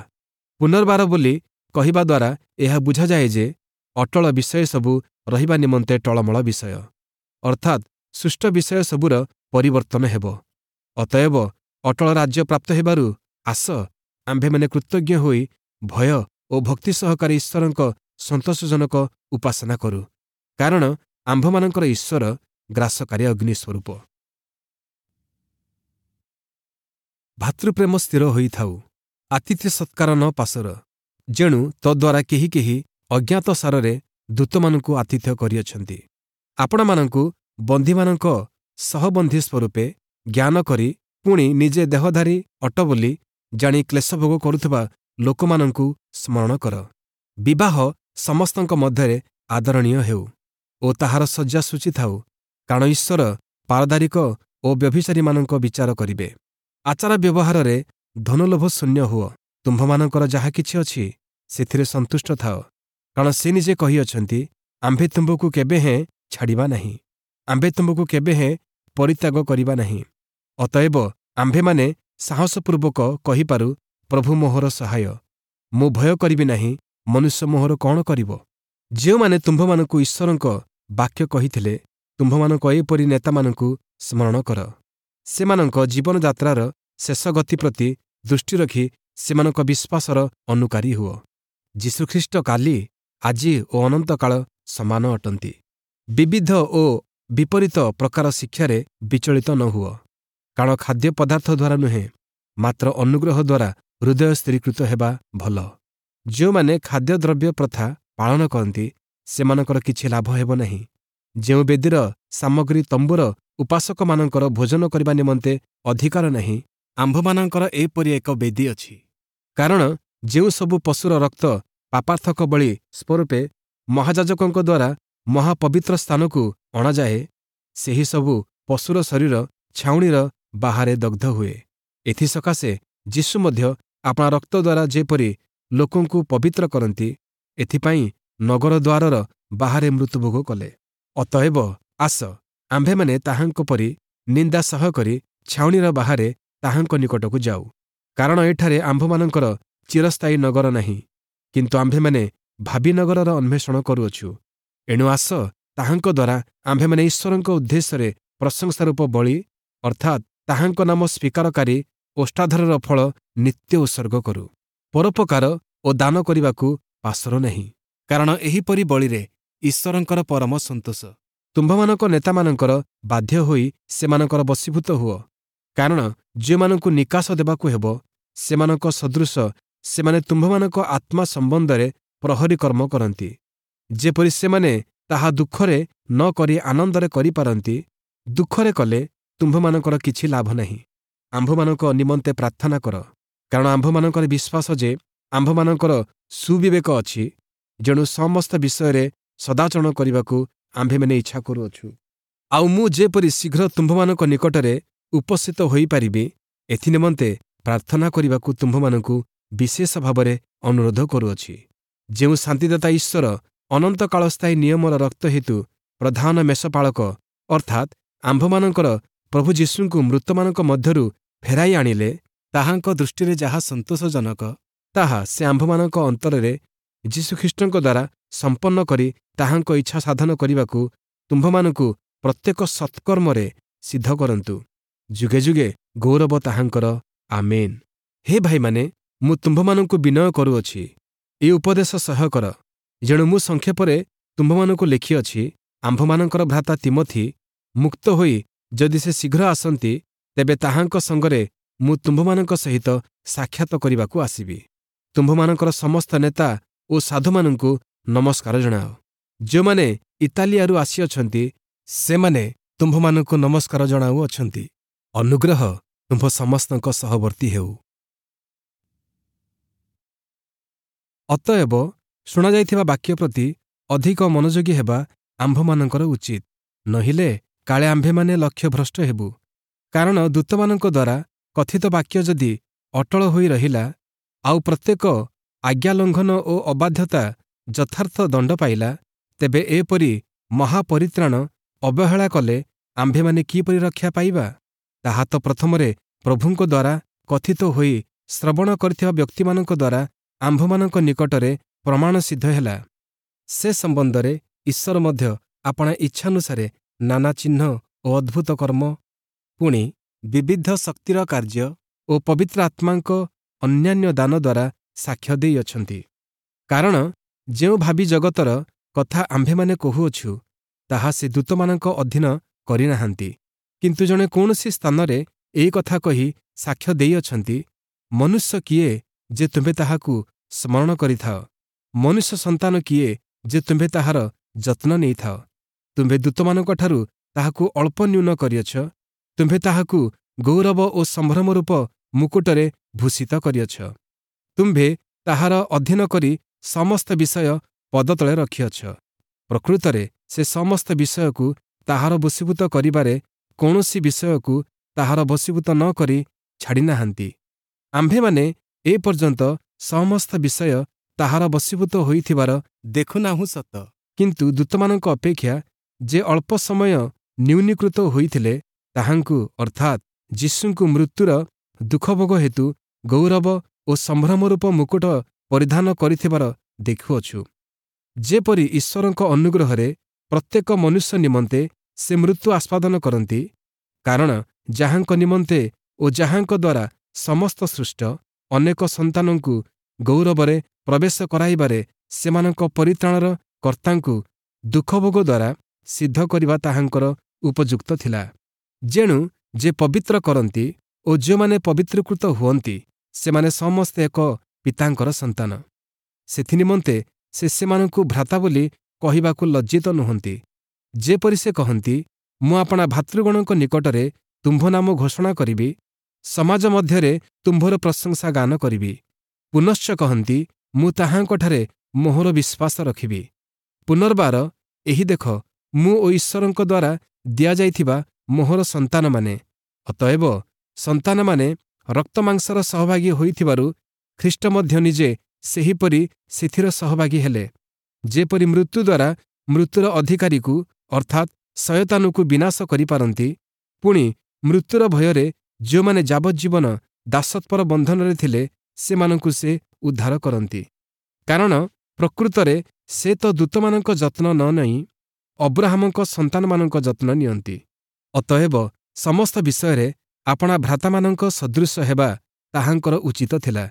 ପୁନର୍ବାର ବୋଲି କହିବା ଦ୍ୱାରା ଏହା ବୁଝାଯାଏ ଯେ ଅଟଳ ବିଷୟ ସବୁ ରହିବା ନିମନ୍ତେ ଟଳମଳ ବିଷୟ, ଅର୍ଥାତ୍ ସୃଷ୍ଟ ବିଷୟ ସବୁର ପରିବର୍ତ୍ତନ ହେବ। ଅତଏବ ଅଟଳ ରାଜ୍ୟ ପ୍ରାପ୍ତ ହେବାରୁ ଆସ, ଆମ୍ଭେମାନେ କୃତଜ୍ଞ ହୋଇ ଭୟ ଓ ଭକ୍ତି ସହକାରେ ଈଶ୍ୱରଙ୍କ ସନ୍ତୋଷଜନକ ଉପାସନା କରୁ, କାରଣ ଆମ୍ଭମାନଙ୍କର ଈଶ୍ୱର ଗ୍ରାସକାରୀ ଅଗ୍ନି ସ୍ୱରୂପ। ଭାତୃପ୍ରେମ ସ୍ଥିର ହୋଇଥାଉ, ଆତିଥ୍ୟ ସତ୍କାର ନ ପାସୋର, ଯେଣୁ ତଦ୍ୱାରା କେହି କେହି ଅଜ୍ଞାତ ସାରରେ ଦୂତମାନଙ୍କୁ ଆତିଥ୍ୟ କରିଅଛନ୍ତି। ଆପଣମାନଙ୍କୁ ବନ୍ଦୀମାନଙ୍କ ସହବନ୍ଦୀ ସ୍ୱରୂପେ ଜ୍ଞାନ କରି ପୁଣି ନିଜେ ଦେହଧାରୀ ଅଟ ବୋଲି ଜାଣି କ୍ଲେଶଭୋଗ କରୁଥିବା ଲୋକମାନଙ୍କୁ ସ୍ମରଣ କର। ବିବାହ ସମସ୍ତଙ୍କ ମଧ୍ୟରେ ଆଦରଣୀୟ ହେଉ ଓ ତାହାର ଶଯ୍ୟା ଶୁଚି ଥାଉ, କାରଣ ଈଶ୍ୱର ପାରଦାରିକ ଓ ବ୍ୟଭିଚାରୀମାନଙ୍କ ବିଚାର କରିବେ। ଆଚାର ବ୍ୟବହାରରେ ଧନଲୋଭ ଶୂନ୍ୟ ହୁଅ, ତୁମ୍ଭମାନଙ୍କର ଯାହା କିଛି ଅଛି ସେଥିରେ ସନ୍ତୁଷ୍ଟ ଥାଅ, କାରଣ ସେ ନିଜେ କହିଅଛନ୍ତି, ଆମ୍ଭେ ତୁମ୍ଭକୁ କେବେ ହେଁ ଛାଡ଼ିବା ନାହିଁ, ଆମ୍ଭେ ତୁମ୍ଭକୁ କେବେ ହେଁ ପରିତ୍ୟାଗ କରିବା ନାହିଁ। ଅତଏବ ଆମ୍ଭେମାନେ ସାହସପୂର୍ବକ କହିପାରୁ, ପ୍ରଭୁ ମୋହର ସହାୟ, ମୁଁ ଭୟ କରିବି ନାହିଁ, ମନୁଷ୍ୟ ମୋହର କ'ଣ କରିବ? ଯେଉଁମାନେ ତୁମ୍ଭମାନଙ୍କୁ ଈଶ୍ୱରଙ୍କ ବାକ୍ୟ କହିଥିଲେ, ତୁମ୍ଭମାନଙ୍କ ଏପରି ନେତାମାନଙ୍କୁ ସ୍ମରଣ କର। ସେମାନଙ୍କ ଜୀବନଯାତ୍ରାର ଶେଷ ଗତି ପ୍ରତି ଦୃଷ୍ଟି ରଖି ସେମାନଙ୍କ ବିଶ୍ୱାସର ଅନୁକାରୀ ହୁଅ। ଯୀଶୁଖ୍ରୀଷ୍ଟ କାଲି, ଆଜି ଓ ଅନନ୍ତକାଳ ସମାନ ଅଟନ୍ତି। ବିବିଧ ଓ ବିପରୀତ ପ୍ରକାର ଶିକ୍ଷାରେ ବିଚଳିତ ନ ହୁଅ, କାରଣ ଖାଦ୍ୟ ପଦାର୍ଥ ଦ୍ୱାରା ନୁହେଁ, ମାତ୍ର ଅନୁଗ୍ରହ ଦ୍ୱାରା ହୃଦୟ ସ୍ଥିରୀକୃତ ହେବା ଭଲ। ଯେଉଁମାନେ ଖାଦ୍ୟଦ୍ରବ୍ୟ ପ୍ରଥା ପାଳନ କରନ୍ତି, ସେମାନଙ୍କର କିଛି ଲାଭ ହେବ ନାହିଁ। ଯେଉଁ ବେଦୀର ସାମଗ୍ରୀ ତମ୍ବୁର ଉପାସକମାନଙ୍କର ଭୋଜନ କରିବା ନିମନ୍ତେ ଅଧିକାର ନାହିଁ, ଆମ୍ଭମାନଙ୍କର ଏପରି ଏକ ବେଦୀ ଅଛି। କାରଣ ଯେଉଁ ସବୁ ପଶୁର ରକ୍ତ ପାପାର୍ଥକ ବଳି ସ୍ୱରୂପେ ମହାଯାଜକଙ୍କ ଦ୍ୱାରା ମହାପବିତ୍ର ସ୍ଥାନକୁ ଅଣାଯାଏ, ସେହି ସବୁ ପଶୁର ଶରୀର ଛାଉଣିର ବାହାରେ ଦଗ୍ଧ ହୁଏ। ଏଥିସକାଶେ ଯୀଶୁ ମଧ୍ୟ ଆପଣା ରକ୍ତ ଦ୍ୱାରା ଯେପରି ଲୋକଙ୍କୁ ପବିତ୍ର କରନ୍ତି, ଏଥିପାଇଁ ନଗର ଦ୍ୱାରର ବାହାରେ ମୃତ୍ୟୁଭୋଗ କଲେ। ଅତଏବ ଆସ, ଆମ୍ଭେମାନେ ତାହାଙ୍କ ପରି ନିନ୍ଦା ସହ୍ୟ କରି ଛାଉଣିର ବାହାରେ ତାହାଙ୍କ ନିକଟକୁ ଯାଉ। କାରଣ ଏଠାରେ ଆମ୍ଭମାନଙ୍କର ଚିରସ୍ଥାୟୀ ନଗର ନାହିଁ, କିନ୍ତୁ ଆମ୍ଭେମାନେ ଭାବି ନଗରର ଅନ୍ୱେଷଣ କରୁଅଛୁ। ଏଣୁ ଆସ, ତାହାଙ୍କ ଦ୍ୱାରା ଆମ୍ଭେମାନେ ଈଶ୍ୱରଙ୍କ ଉଦ୍ଦେଶ୍ୟରେ ପ୍ରଶଂସାରୂପ ବଳି, ଅର୍ଥାତ୍ ତାହାଙ୍କ ନାମ ସ୍ୱୀକାରକାରୀ ଓଷ୍ଠାଧରର ଫଳ ନିତ୍ୟ ଉତ୍ସର୍ଗ କରୁ। ପରୋପକାର ଓ ଦାନ କରିବାକୁ ପାସୋର ନାହିଁ, କାରଣ ଏହିପରି ବଳିରେ ଈଶ୍ୱରଙ୍କର ପରମ ସନ୍ତୋଷ। ତୁମ୍ଭମାନଙ୍କ ନେତାମାନଙ୍କର ବାଧ୍ୟ ହୋଇ ସେମାନଙ୍କର ବଶୀଭୂତ ହୁଅ, କାରଣ ଯେଉଁମାନଙ୍କୁ ନିକାଶ ଦେବାକୁ ହେବ, ସେମାନଙ୍କ ସଦୃଶ ସେମାନେ ତୁମ୍ଭମାନଙ୍କ ଆତ୍ମା ସମ୍ବନ୍ଧରେ ପ୍ରହରୀ କର୍ମ କରନ୍ତି, ଯେପରି ସେମାନେ ତାହା ଦୁଃଖରେ ନ କରି ଆନନ୍ଦରେ କରିପାରନ୍ତି। ଦୁଃଖରେ କଲେ ତୁମ୍ଭମାନଙ୍କର କିଛି ଲାଭ ନାହିଁ। ଆମ୍ଭମାନଙ୍କ ନିମନ୍ତେ ପ୍ରାର୍ଥନା କର, କାରଣ ଆମ୍ଭମାନଙ୍କର ବିଶ୍ୱାସ ଯେ ଆମ୍ଭମାନଙ୍କର ସୁବିବେକ ଅଛି, ଯେଣୁ ସମସ୍ତ ବିଷୟରେ ସଦାଚରଣ କରିବାକୁ ଆମ୍ଭେମାନେ ଇଚ୍ଛା କରୁଅଛୁ। ଆଉ ମୁଁ ଯେପରି ଶୀଘ୍ର ତୁମ୍ଭମାନଙ୍କ ନିକଟରେ ଉପସ୍ଥିତ ହୋଇପାରିବି, ଏଥିନିମନ୍ତେ ପ୍ରାର୍ଥନା କରିବାକୁ ତୁମ୍ଭମାନଙ୍କୁ ବିଶେଷ ଭାବରେ ଅନୁରୋଧ କରୁଅଛି। ଯେଉଁ ଶାନ୍ତିଦାତା ଈଶ୍ୱର ଅନନ୍ତକାଳସ୍ଥାୟୀ ନିୟମର ରକ୍ତ ହେତୁ ପ୍ରଧାନ ମେଷପାଳକ, ଅର୍ଥାତ୍ ଆମ୍ଭମାନଙ୍କର ପ୍ରଭୁ ଯୀଶୁଙ୍କୁ ମୃତମାନଙ୍କ ମଧ୍ୟରୁ ଫେରାଇ ଆଣିଲେ, ତାହାଙ୍କ ଦୃଷ୍ଟିରେ ଯାହା ସନ୍ତୋଷଜନକ, ତାହା ସେ ଆମ୍ଭମାନଙ୍କ ଅନ୍ତରରେ ଯୀଶୁଖ୍ରୀଷ୍ଟଙ୍କ ଦ୍ୱାରା ସମ୍ପନ୍ନ କରି ତାହାଙ୍କ ଇଚ୍ଛା ସାଧନ କରିବାକୁ ତୁମ୍ଭମାନଙ୍କୁ ପ୍ରତ୍ୟେକ ସତ୍କର୍ମରେ ସିଦ୍ଧ କରନ୍ତୁ। ଯୁଗେ ଯୁଗେ ଗୌରବ ତାହାଙ୍କର। ଆମେନ୍। ହେ ଭାଇମାନେ, ମୁଁ ତୁମ୍ଭମାନଙ୍କୁ ବିନୟ କରୁଅଛି, ଏ ଉପଦେଶ ସହ୍ୟ କର। ଯେଣୁ ମୁଁ ସଂକ୍ଷେପରେ ତୁମ୍ଭମାନଙ୍କୁ ଲେଖିଅଛି, ଆମ୍ଭମାନଙ୍କର ଭ୍ରାତା ତୀମଥି ମୁକ୍ତ ହୋଇ ଯଦି ସେ ଶୀଘ୍ର ଆସନ୍ତି, ତେବେ ତାହାଙ୍କ ସଙ୍ଗରେ ମୁଁ ତୁମ୍ଭମାନଙ୍କ ସହିତ ସାକ୍ଷାତ କରିବାକୁ ଆସିବି। ତୁମ୍ଭମାନଙ୍କର ସମସ୍ତ ନେତା ଓ ସାଧୁମାନଙ୍କୁ ନମସ୍କାର ଜଣାଅ। ଯେଉଁମାନେ ଇତାଲିଆରୁ ଆସିଅଛନ୍ତି, ସେମାନେ ତୁମ୍ଭମାନଙ୍କୁ ନମସ୍କାର ଜଣାଉଅଛନ୍ତି। ଅନୁଗ୍ରହ ତୁମ୍ଭ ସମସ୍ତଙ୍କ ସହବର୍ତ୍ତୀ ହେଉ। ଅତଏବ ଶୁଣାଯାଇଥିବା ବାକ୍ୟ ପ୍ରତି ଅଧିକ ମନୋଯୋଗୀ ହେବା ଆମ୍ଭମାନଙ୍କର ଉଚିତ, ନହିଲେ କାଳେ ଆମ୍ଭେମାନେ ଲକ୍ଷ୍ୟଭ୍ରଷ୍ଟ ହେବୁ। କାରଣ ଦୂତମାନଙ୍କ ଦ୍ୱାରା କଥିତ ବାକ୍ୟ ଯଦି ଅଟଳ ହୋଇ ରହିଲା, ଆଉ ପ୍ରତ୍ୟେକ ଆଜ୍ଞାଲଙ୍ଘନ ଓ ଅବାଧ୍ୟତା ଯଥାର୍ଥ ଦଣ୍ଡ ପାଇଲା, ତେବେ ଏପରି ମହାପରିତ୍ରାଣ ଅବହେଳା କଲେ ଆମ୍ଭେମାନେ କିପରି ରକ୍ଷା ପାଇବା? ତାହା ତ ପ୍ରଥମରେ ପ୍ରଭୁଙ୍କ ଦ୍ୱାରା କଥିତ ହୋଇ ଶ୍ରବଣ କରିଥିବା ବ୍ୟକ୍ତିମାନଙ୍କ ଦ୍ୱାରା ଆମ୍ଭମାନଙ୍କ ନିକଟରେ ପ୍ରମାଣ ସିଦ୍ଧ ହେଲା। ସେ ସମ୍ବନ୍ଧରେ ଈଶ୍ୱର ମଧ୍ୟ ଆପଣା ଇଚ୍ଛାନୁସାରେ ନାନା ଚିହ୍ନ ଓ ଅଦ୍ଭୁତ କର୍ମ, ପୁଣି ବିବିଧ ଶକ୍ତିର କାର୍ଯ୍ୟ ଓ ପବିତ୍ର ଆତ୍ମାଙ୍କ ଅନ୍ୟାନ୍ୟ ଦାନ ଦ୍ୱାରା ସାକ୍ଷ୍ୟ ଦେଇଅଛନ୍ତି। କାରଣ ଯେଉଁ ଭାବୀ ଜଗତର କଥା ଆମ୍ଭେମାନେ କହୁଅଛୁ, ତାହା ସେ ଦୂତମାନଙ୍କ ଅଧୀନ କରିନାହାନ୍ତି। କିନ୍ତୁ ଜଣେ କୌଣସି ସ୍ଥାନରେ ଏହି କଥା କହି ସାକ୍ଷ୍ୟ ଦେଇଅଛନ୍ତି, ମନୁଷ୍ୟ କିଏ ଯେ ତୁମ୍ଭେ ତାହାକୁ ସ୍ମରଣ କରିଥାଅ? ମନୁଷ୍ୟ ସନ୍ତାନ କିଏ ଯେ ତୁମ୍ଭେ ତାହାର ଯତ୍ନ ନେଇଥାଅ? ତୁମ୍ଭେ ଦୂତମାନଙ୍କଠାରୁ ତାହାକୁ ଅଳ୍ପ ନ୍ୟୁନ କରିଅଛ, ତୁମ୍ଭେ ତାହାକୁ ଗୌରବ ଓ ସମ୍ଭ୍ରମ ରୂପ ମୁକୁଟରେ ଭୂଷିତ କରିଅଛ। ତୁମ୍ଭେ ତାହାର ଅଧୀନ କରି ସମସ୍ତ ବିଷୟ ପଦତଳେ ରଖିଅଛ। ପ୍ରକୃତରେ ସେ ସମସ୍ତ ବିଷୟକୁ ତାହାର ବଶୀଭୂତ କରିବାରେ କୌଣସି ବିଷୟକୁ ତାହାର ବଶୀଭୂତ ନ କରି ଛାଡ଼ିନାହାନ୍ତି। ଆମ୍ଭେମାନେ ଏପର୍ଯ୍ୟନ୍ତ ସମସ୍ତ ବିଷୟ ତାହାର ବଶୀଭୂତ ହୋଇଥିବାର ଦେଖୁନାହୁଁ ସତ, କିନ୍ତୁ ଦୂତମାନଙ୍କ ଅପେକ୍ଷା ଯେ ଅଳ୍ପ ସମୟ ନ୍ୟୁନୀକୃତ ହୋଇଥିଲେ, ତାହାଙ୍କୁ ଅର୍ଥାତ୍ ଯୀଶୁଙ୍କୁ ମୃତ୍ୟୁର ଦୁଃଖଭୋଗ ହେତୁ ଗୌରବ ଓ ସମ୍ଭ୍ରମରୂପ ମୁକୁଟ ପରିଧାନ କରିଥିବାର ଦେଖୁଅଛୁ। ଯେପରି ଈଶ୍ୱରଙ୍କ ଅନୁଗ୍ରହରେ ପ୍ରତ୍ୟେକ ମନୁଷ୍ୟ ନିମନ୍ତେ ସେ ମୃତ୍ୟୁ ଆସ୍ୱାଦନ କରନ୍ତି, କାରଣ ଯାହାଙ୍କ ନିମନ୍ତେ ଓ ଯାହାଙ୍କ ଦ୍ୱାରା ସମସ୍ତ ସୃଷ୍ଟ, ଅନେକ ସନ୍ତାନଙ୍କୁ ଗୌରବରେ ପ୍ରବେଶ କରାଇବାରେ ସେମାନଙ୍କ ପରିତ୍ରାଣର କର୍ତ୍ତାଙ୍କୁ ଦୁଃଖଭୋଗ ଦ୍ୱାରା ସିଦ୍ଧ କରିବା ତାହାଙ୍କର ଉପଯୁକ୍ତ ଥିଲା। ଯେଣୁ ଯେ ପବିତ୍ର କରନ୍ତି ଓ ଯେଉଁମାନେ ପବିତ୍ରୀକୃତ ହୁଅନ୍ତି, ସେମାନେ ସମସ୍ତେ ଏକ ପିତାଙ୍କର ସନ୍ତାନ। ସେଥିନିମନ୍ତେ ସେ ସେମାନଙ୍କୁ ଭ୍ରାତା ବୋଲି କହିବାକୁ ଲଜ୍ଜିତ ନୁହନ୍ତି। ଯେପରି ସେ କହନ୍ତି, ମୁଁ ଆପଣା ଭାତୃଗଣଙ୍କ ନିକଟରେ ତୁମ୍ଭ ନାମ ଘୋଷଣା କରିବି, ସମାଜ ମଧ୍ୟରେ ତୁମ୍ଭର ପ୍ରଶଂସା ଗାନ କରିବି। ପୁନଶ୍ଚ କହନ୍ତି, ମୁଁ ତାହାଙ୍କଠାରେ ମୋହର ବିଶ୍ୱାସ ରଖିବି। ପୁନର୍ବାର, ଏହି ଦେଖ, ମୁଁ ଓ ଈଶ୍ୱରଙ୍କ ଦ୍ୱାରା ଦିଆଯାଇଥିବା ମୋହର ସନ୍ତାନମାନେ। ଅତଏବ ସନ୍ତାନମାନେ ରକ୍ତମାଂସର ସହଭାଗୀ ହୋଇଥିବାରୁ ଖ୍ରୀଷ୍ଟ ମଧ୍ୟ ନିଜେ ସେହିପରି ସେଥିର ସହଭାଗୀ ହେଲେ, ଯେପରି ମୃତ୍ୟୁ ଦ୍ୱାରା ମୃତ୍ୟୁର ଅଧିକାରୀକୁ ଅର୍ଥାତ୍ ଶୟତାନକୁ ବିନାଶ କରିପାରନ୍ତି, ପୁଣି ମୃତ୍ୟୁର ଭୟରେ ଯେଉଁମାନେ ଯାବଜ୍ଜୀବନ ଦାସତ୍ୱର ବନ୍ଧନରେ ଥିଲେ, ସେମାନଙ୍କୁ ସେ ଉଦ୍ଧାର କରନ୍ତି। କାରଣ ପ୍ରକୃତରେ ସେ ତ ଦୂତମାନଙ୍କ ଯତ୍ନ ନ ନେଇ ଅବ୍ରାହମଙ୍କ ସନ୍ତାନମାନଙ୍କ ଯତ୍ନ ନିଅନ୍ତି। ଅତଏବ ସମସ୍ତ ବିଷୟରେ ଆପଣା ଭ୍ରାତାମାନଙ୍କ ସଦୃଶ ହେବା ତାହାଙ୍କର ଉଚିତ ଥିଲା,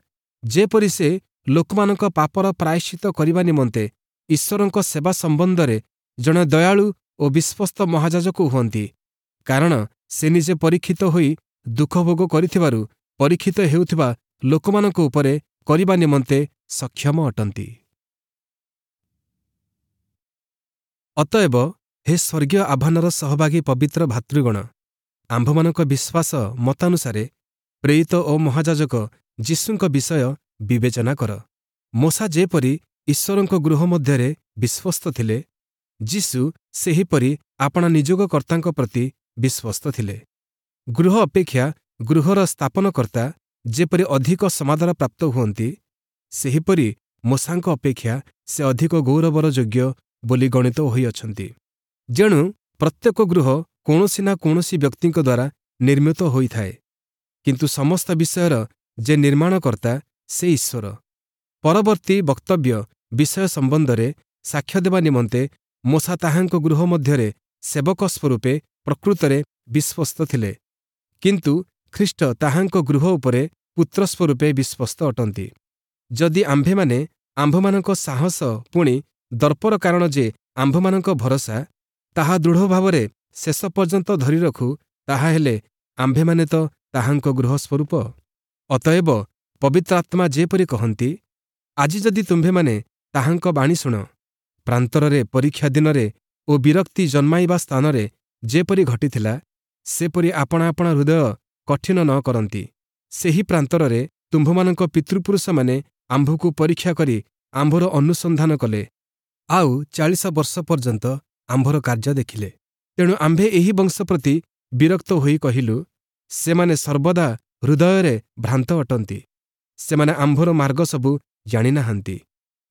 ଯେପରି ସେ ଲୋକମାନଙ୍କ ପାପର ପ୍ରାୟଶ୍ଚିତ୍ତ କରିବା ନିମନ୍ତେ ଈଶ୍ୱରଙ୍କ ସେବା ସମ୍ବନ୍ଧରେ ଜଣେ ଦୟାଳୁ ଓ ବିଶ୍ୱସ୍ତ ମହାଯାଜକ ହୁଅନ୍ତି। କାରଣ ସେ ନିଜେ ପରୀକ୍ଷିତ ହୋଇ ଦୁଃଖଭୋଗ କରିଥିବାରୁ ପରୀକ୍ଷିତ ହେଉଥିବା ଲୋକମାନଙ୍କ ଉପରେ କରିବା ନିମନ୍ତେ ସକ୍ଷମ ଅଟନ୍ତି। ଅତଏବ ହେ ସ୍ୱର୍ଗୀୟ ଆହ୍ୱାନର ସହଭାଗୀ ପବିତ୍ର ଭାତୃଗଣ, ଆମ୍ଭମାନଙ୍କ ବିଶ୍ୱାସ ମତାନୁସାରେ ପ୍ରେରିତ ଓ ମହାଯାଜକ ଯୀଶୁଙ୍କ ବିଷୟ ବିବେଚନା କର। ମୋଶା ଯେପରି ଈଶ୍ୱରଙ୍କ ଗୃହ ମଧ୍ୟରେ ବିଶ୍ୱସ୍ତ ଥିଲେ, ଯୀଶୁ ସେହିପରି ଆପଣା ନିଯୋଗକର୍ତ୍ତାଙ୍କ ପ୍ରତି ବିଶ୍ୱସ୍ତ ଥିଲେ। ଗୃହ ଅପେକ୍ଷା ଗୃହର ସ୍ଥାପନକର୍ତ୍ତା ଯେପରି ଅଧିକ ସମାଦର ପ୍ରାପ୍ତ ହୁଅନ୍ତି, ସେହିପରି ମୋଶାଙ୍କ ଅପେକ୍ଷା ସେ ଅଧିକ ଗୌରବର ଯୋଗ୍ୟ ବୋଲି ଗଣିତ ହୋଇଅଛନ୍ତି। ଯେଣୁ ପ୍ରତ୍ୟେକ ଗୃହ କୌଣସି ନା କୌଣସି ବ୍ୟକ୍ତିଙ୍କ ଦ୍ୱାରା ନିର୍ମିତ ହୋଇଥାଏ, କିନ୍ତୁ ସମସ୍ତ ବିଷୟର ଯେ ନିର୍ମାଣକର୍ତ୍ତା ସେ ଈଶ୍ୱର। ପରବର୍ତ୍ତୀ ବକ୍ତବ୍ୟ ବିଷୟ ସମ୍ବନ୍ଧରେ ସାକ୍ଷ୍ୟ ଦେବା ନିମନ୍ତେ ମୋଶା ତାହାଙ୍କ ଗୃହ ମଧ୍ୟରେ ସେବକ ସ୍ୱରୂପେ ପ୍ରକୃତରେ ବିଶ୍ୱସ୍ତ ଥିଲେ, କିନ୍ତୁ ଖ୍ରୀଷ୍ଟ ତାହାଙ୍କ ଗୃହ ଉପରେ ପୁତ୍ର ସ୍ୱରୂପେ ବିଶ୍ୱସ୍ତ ଅଟନ୍ତି। ଯଦି ଆମ୍ଭେମାନେ ଆମ୍ଭମାନଙ୍କ ସାହସ ପୁଣି ଦର୍ପର କାରଣ ଯେ ଆମ୍ଭମାନଙ୍କ ଭରସା, ତାହା ଦୃଢ଼ ଭାବରେ ଶେଷ ପର୍ଯ୍ୟନ୍ତ ଧରି ରଖୁ, ତାହାହେଲେ ଆମ୍ଭେମାନେ ତ ତାହାଙ୍କ ଗୃହ ସ୍ୱରୂପ। ଅତଏବ ପବିତ୍ରାତ୍ମା ଯେପରି କହନ୍ତି, ଆଜି ଯଦି ତୁମ୍ଭେମାନେ ତାହାଙ୍କ ବାଣୀ ଶୁଣ, ପ୍ରାନ୍ତରରେ ପରୀକ୍ଷା ଦିନରେ ଓ ବିରକ୍ତି ଜନ୍ମାଇବା ସ୍ଥାନରେ ଯେପରି ଘଟିଥିଲା, ସେପରି ଆପଣା ଆପଣା ହୃଦୟ କଠିନ ନ କରନ୍ତି। ସେହି ପ୍ରାନ୍ତରରେ ତୁମ୍ଭମାନଙ୍କ ପିତୃପୁରୁଷମାନେ ଆମ୍ଭକୁ ପରୀକ୍ଷା କରି ଆମ୍ଭର ଅନୁସନ୍ଧାନ କଲେ, ଆଉ ଚାଳିଶ ବର୍ଷ ପର୍ଯ୍ୟନ୍ତ ଆମ୍ଭର କାର୍ଯ୍ୟ ଦେଖିଲେ। ତେଣୁ ଆମ୍ଭେ ଏହି ବଂଶ ପ୍ରତି ବିରକ୍ତ ହୋଇ କହିଲୁ, ସେମାନେ ସର୍ବଦା ହୃଦୟରେ ଭ୍ରାନ୍ତ ଅଟନ୍ତି, ସେମାନେ ଆମ୍ଭର ମାର୍ଗ ସବୁ ଜାଣିନାହାନ୍ତି।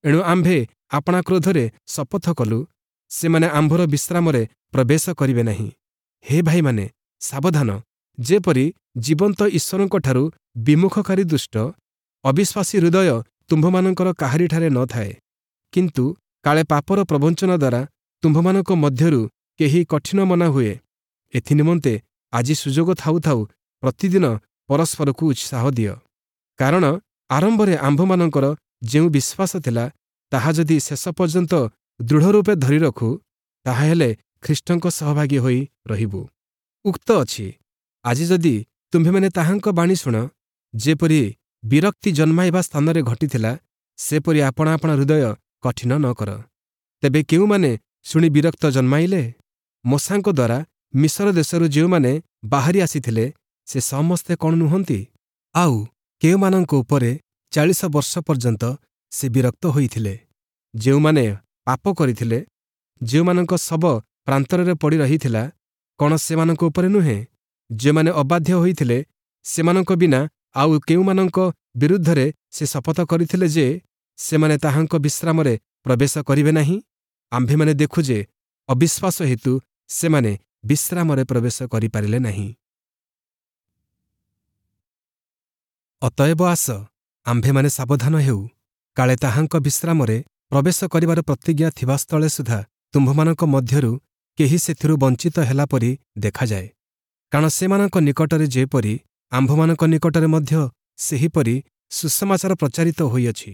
ଏଣୁ ଆମ୍ଭେ ଆପଣା କ୍ରୋଧରେ ଶପଥ କଲୁ, ସେମାନେ ଆମ୍ଭର ବିଶ୍ରାମରେ ପ୍ରବେଶ କରିବେ ନାହିଁ। ହେ ଭାଇମାନେ, ସାବଧାନ, ଯେପରି ଜୀବନ୍ତ ଈଶ୍ୱରଙ୍କଠାରୁ ବିମୁଖକାରୀ ଦୁଷ୍ଟ ଅବିଶ୍ୱାସୀ ହୃଦୟ ତୁମ୍ଭମାନଙ୍କର କାହାରିଠାରେ ନ ଥାଏ। କିନ୍ତୁ କାଳେ ପାପର ପ୍ରବଞ୍ଚନା ଦ୍ୱାରା ତୁମ୍ଭମାନଙ୍କ ମଧ୍ୟରୁ କେହି କଠିନ ମନା ହୁଏ, ଏଥିନିମନ୍ତେ ଆଜି ସୁଯୋଗ ଥାଉ ଥାଉ ପ୍ରତିଦିନ ପରସ୍ପରକୁ ଉତ୍ସାହ ଦିଅ। କାରଣ ଆରମ୍ଭରେ ଆମ୍ଭମାନଙ୍କର ଯେଉଁ ବିଶ୍ୱାସ ଥିଲା, ତାହା ଯଦି ଶେଷ ପର୍ଯ୍ୟନ୍ତ ଦୃଢ଼ ରୂପେ ଧରି ରଖୁ, ତାହାହେଲେ ଖ୍ରୀଷ୍ଟଙ୍କ ସହଭାଗୀ ହୋଇ ରହିବୁ। ଉକ୍ତ ଅଛି, ଆଜି ଯଦି ତୁମ୍ଭେମାନେ ତାହାଙ୍କ ବାଣୀ ଶୁଣ, ଯେପରି ବିରକ୍ତି ଜନ୍ମାଇବା ସ୍ଥାନରେ ଘଟିଥିଲା, ସେପରି ଆପଣା ଆପଣା ହୃଦୟ କଠିନ ନ କର। ତେବେ କେଉଁମାନେ ଶୁଣି ବିରକ୍ତ ଜନ୍ମାଇଲେ? ମୋଶାଙ୍କ ଦ୍ୱାରା ମିଶର ଦେଶରୁ ଯେଉଁମାନେ ବାହାରି ଆସିଥିଲେ, ସେ ସମସ୍ତେ କ'ଣ ନୁହନ୍ତି? ଆଉ କେଉଁମାନଙ୍କ ଉପରେ ଚାଳିଶ ବର୍ଷ ପର୍ଯ୍ୟନ୍ତ ସେ ବିରକ୍ତ ହୋଇଥିଲେ? ଯେଉଁମାନେ ପାପ କରିଥିଲେ, ଯେଉଁମାନଙ୍କ ଶବ ପ୍ରାନ୍ତରରେ ପଡ଼ି ରହିଥିଲା, କ'ଣ ସେମାନଙ୍କ ଉପରେ ନୁହେଁ? ଯେଉଁମାନେ ଅବାଧ୍ୟ ହୋଇଥିଲେ, ସେମାନଙ୍କ ବିନା ଆଉ କେଉଁମାନଙ୍କ ବିରୁଦ୍ଧରେ ସେ ଶପଥ କରିଥିଲେ ଯେ ସେମାନେ ତାହାଙ୍କ ବିଶ୍ରାମରେ ପ୍ରବେଶ କରିବେ ନାହିଁ? ଆମ୍ଭେମାନେ ଦେଖୁ ଯେ ଅବିଶ୍ୱାସ ହେତୁ ସେମାନେ ବିଶ୍ରାମରେ ପ୍ରବେଶ କରିପାରିଲେ ନାହିଁ। ଅତଏବ ଆସ, ଆମ୍ଭେମାନେ ସାବଧାନ ହେଉ, କାଳେ ତାହାଙ୍କ ବିଶ୍ରାମରେ ପ୍ରବେଶ କରିବାର ପ୍ରତିଜ୍ଞା ଥିବା ସ୍ଥଳେ ସୁଦ୍ଧା ତୁମ୍ଭମାନଙ୍କ ମଧ୍ୟରୁ କେହି ସେଥିରୁ ବଞ୍ଚିତ ହେଲା ପରି ଦେଖାଯାଏ। କାରଣ ସେମାନଙ୍କ ନିକଟରେ ଯେପରି, ଆମ୍ଭମାନଙ୍କ ନିକଟରେ ମଧ୍ୟ ସେହିପରି ସୁସମାଚାର ପ୍ରଚାରିତ ହୋଇଅଛି।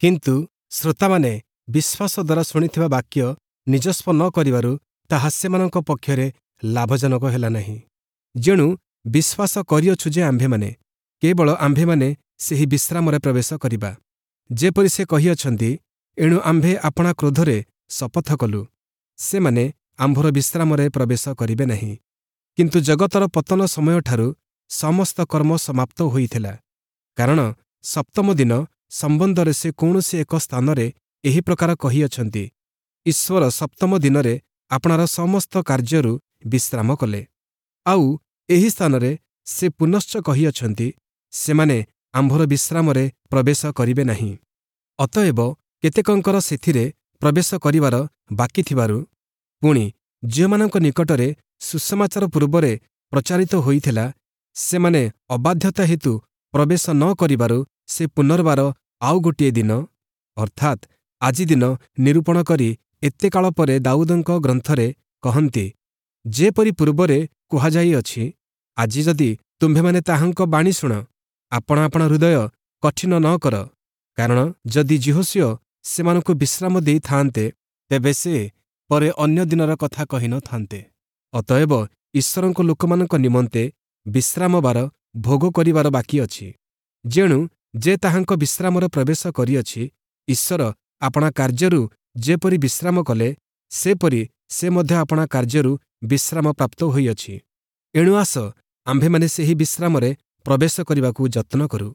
କିନ୍ତୁ ଶ୍ରୋତାମାନେ ବିଶ୍ୱାସ ଦ୍ୱାରା ଶୁଣିଥିବା ବାକ୍ୟ ନିଜସ୍ୱ ନ କରିବାରୁ ତାହା ସେମାନଙ୍କ ପକ୍ଷରେ ଲାଭଜନକ ହେଲା ନାହିଁ। ଯେଣୁ ବିଶ୍ୱାସ କରିଅଛୁ ଯେ ଆମ୍ଭେମାନେ କେବଳ ଆମ୍ଭେମାନେ ସେହି ବିଶ୍ରାମରେ ପ୍ରବେଶ କରିବା, ଯେପରି ସେ କହିଅଛନ୍ତି, ଏଣୁ ଆମ୍ଭେ ଆପଣା କ୍ରୋଧରେ ଶପଥ କଲୁ, ସେମାନେ ଆମ୍ଭର ବିଶ୍ରାମରେ ପ୍ରବେଶ କରିବେ ନାହିଁ। କିନ୍ତୁ ଜଗତର ପତନ ସମୟଠାରୁ ସମସ୍ତ କର୍ମ ସମାପ୍ତ ହୋଇଥିଲା। କାରଣ ସପ୍ତମ ଦିନ ସମ୍ବନ୍ଧରେ ସେ କୌଣସି ଏକ ସ୍ଥାନରେ ଏହି ପ୍ରକାର କହିଅଛନ୍ତି, ଈଶ୍ୱର ସପ୍ତମ ଦିନରେ ଆପଣାର ସମସ୍ତ କାର୍ଯ୍ୟରୁ ବିଶ୍ରାମ କଲେ। ଆଉ ଏହି ସ୍ଥାନରେ ସେ ପୁନଶ୍ଚ କହିଅଛନ୍ତି, ସେମାନେ ଆମ୍ଭର ବିଶ୍ରାମରେ ପ୍ରବେଶ କରିବେ ନାହିଁ। ଅତଏବ କେତେକଙ୍କର ସେଥିରେ ପ୍ରବେଶ କରିବାର ବାକି ଥିବାରୁ, ପୁଣି ଯେଉଁମାନଙ୍କ ନିକଟରେ ସୁସମାଚାର ପୂର୍ବରେ ପ୍ରଚାରିତ ହୋଇଥିଲା, ସେମାନେ ଅବାଧ୍ୟତା ହେତୁ ପ୍ରବେଶ ନ କରିବାରୁ ସେ ପୁନର୍ବାର ଆଉ ଗୋଟିଏ ଦିନ, ଅର୍ଥାତ୍ ଆଜି ଦିନ ନିରୂପଣ କରି ଏତେ କାଳ ପରେ ଦାଉଦଙ୍କ ଗ୍ରନ୍ଥରେ କହନ୍ତି, ଯେପରି ପୂର୍ବରେ କୁହାଯାଇଅଛି, ଆଜି ଯଦି ତୁମ୍ଭେମାନେ ତାହାଙ୍କ ବାଣୀ ଶୁଣ, ଆପଣା ଆପଣା ହୃଦୟ କଠିନ ନ କର। କାରଣ ଯଦି ଯିହୋଶୂୟ ସେମାନଙ୍କୁ ବିଶ୍ରାମ ଦେଇଥାନ୍ତେ, ତେବେ ସେ ପରେ ଅନ୍ୟ ଦିନର କଥା କହିନଥାନ୍ତେ। ଅତଏବ ଈଶ୍ୱରଙ୍କ ଲୋକମାନଙ୍କ ନିମନ୍ତେ ବିଶ୍ରାମବାର ଭୋଗ କରିବାର ବାକି ଅଛି। ଯେଣୁ ଯେ ତାହାଙ୍କ ବିଶ୍ରାମରେ ପ୍ରବେଶ କରିଅଛି, ଈଶ୍ୱର ଆପଣା କାର୍ଯ୍ୟରୁ ଯେପରି ବିଶ୍ରାମ କଲେ, ସେପରି ସେ ମଧ୍ୟ ଆପଣା କାର୍ଯ୍ୟରୁ ବିଶ୍ରାମ ପ୍ରାପ୍ତ ହୋଇଅଛି। ଏଣୁ ଆସ, ଆମ୍ଭେମାନେ ସେହି ବିଶ୍ରାମରେ ପ୍ରବେଶ କରିବାକୁ ଯତ୍ନ କରୁ,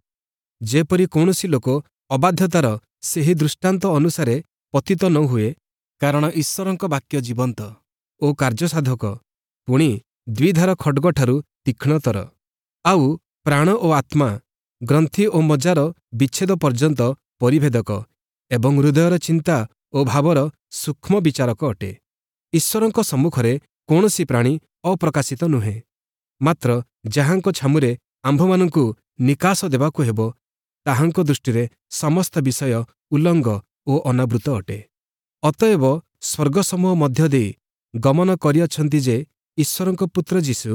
ଯେପରି କୌଣସି ଲୋକ ଅବାଧ୍ୟତାର ସେହି ଦୃଷ୍ଟାନ୍ତ ଅନୁସାରେ ପତିତ ନ ହୁଏ। କାରଣ ଈଶ୍ୱରଙ୍କ ବାକ୍ୟ ଜୀବନ୍ତ ଓ କାର୍ଯ୍ୟସାଧକ, ପୁଣି ଦ୍ୱିଧାର ଖଡ଼୍ଗଠାରୁ ତୀକ୍ଷ୍ଣତର, ଆଉ ପ୍ରାଣ ଓ ଆତ୍ମା, ଗ୍ରନ୍ଥି ଓ ମଜ୍ଜାର ବିଚ୍ଛେଦ ପର୍ଯ୍ୟନ୍ତ ପରିଭେଦକ ଏବଂ ହୃଦୟର ଚିନ୍ତା ଓ ଭାବର ସୂକ୍ଷ୍ମ ବିଚାରକ ଅଟେ। ଈଶ୍ୱରଙ୍କ ସମ୍ମୁଖରେ କୌଣସି ପ୍ରାଣୀ ଅପ୍ରକାଶିତ ନୁହେଁ, ମାତ୍ର ଯାହାଙ୍କ ଛାମୁରେ ଆମ୍ଭମାନଙ୍କୁ ନିକାଶ ଦେବାକୁ ହେବ, ତାହାଙ୍କ ଦୃଷ୍ଟିରେ ସମସ୍ତ ବିଷୟ ଉଲଙ୍ଗ ଓ ଅନାବୃତ ଅଟେ। ଅତଏବ ସ୍ୱର୍ଗସମୂହ ମଧ୍ୟ ଦେଇ ଗମନ କରିଅଛନ୍ତି ଯେ ଈଶ୍ୱରଙ୍କ ପୁତ୍ର ଯୀଶୁ,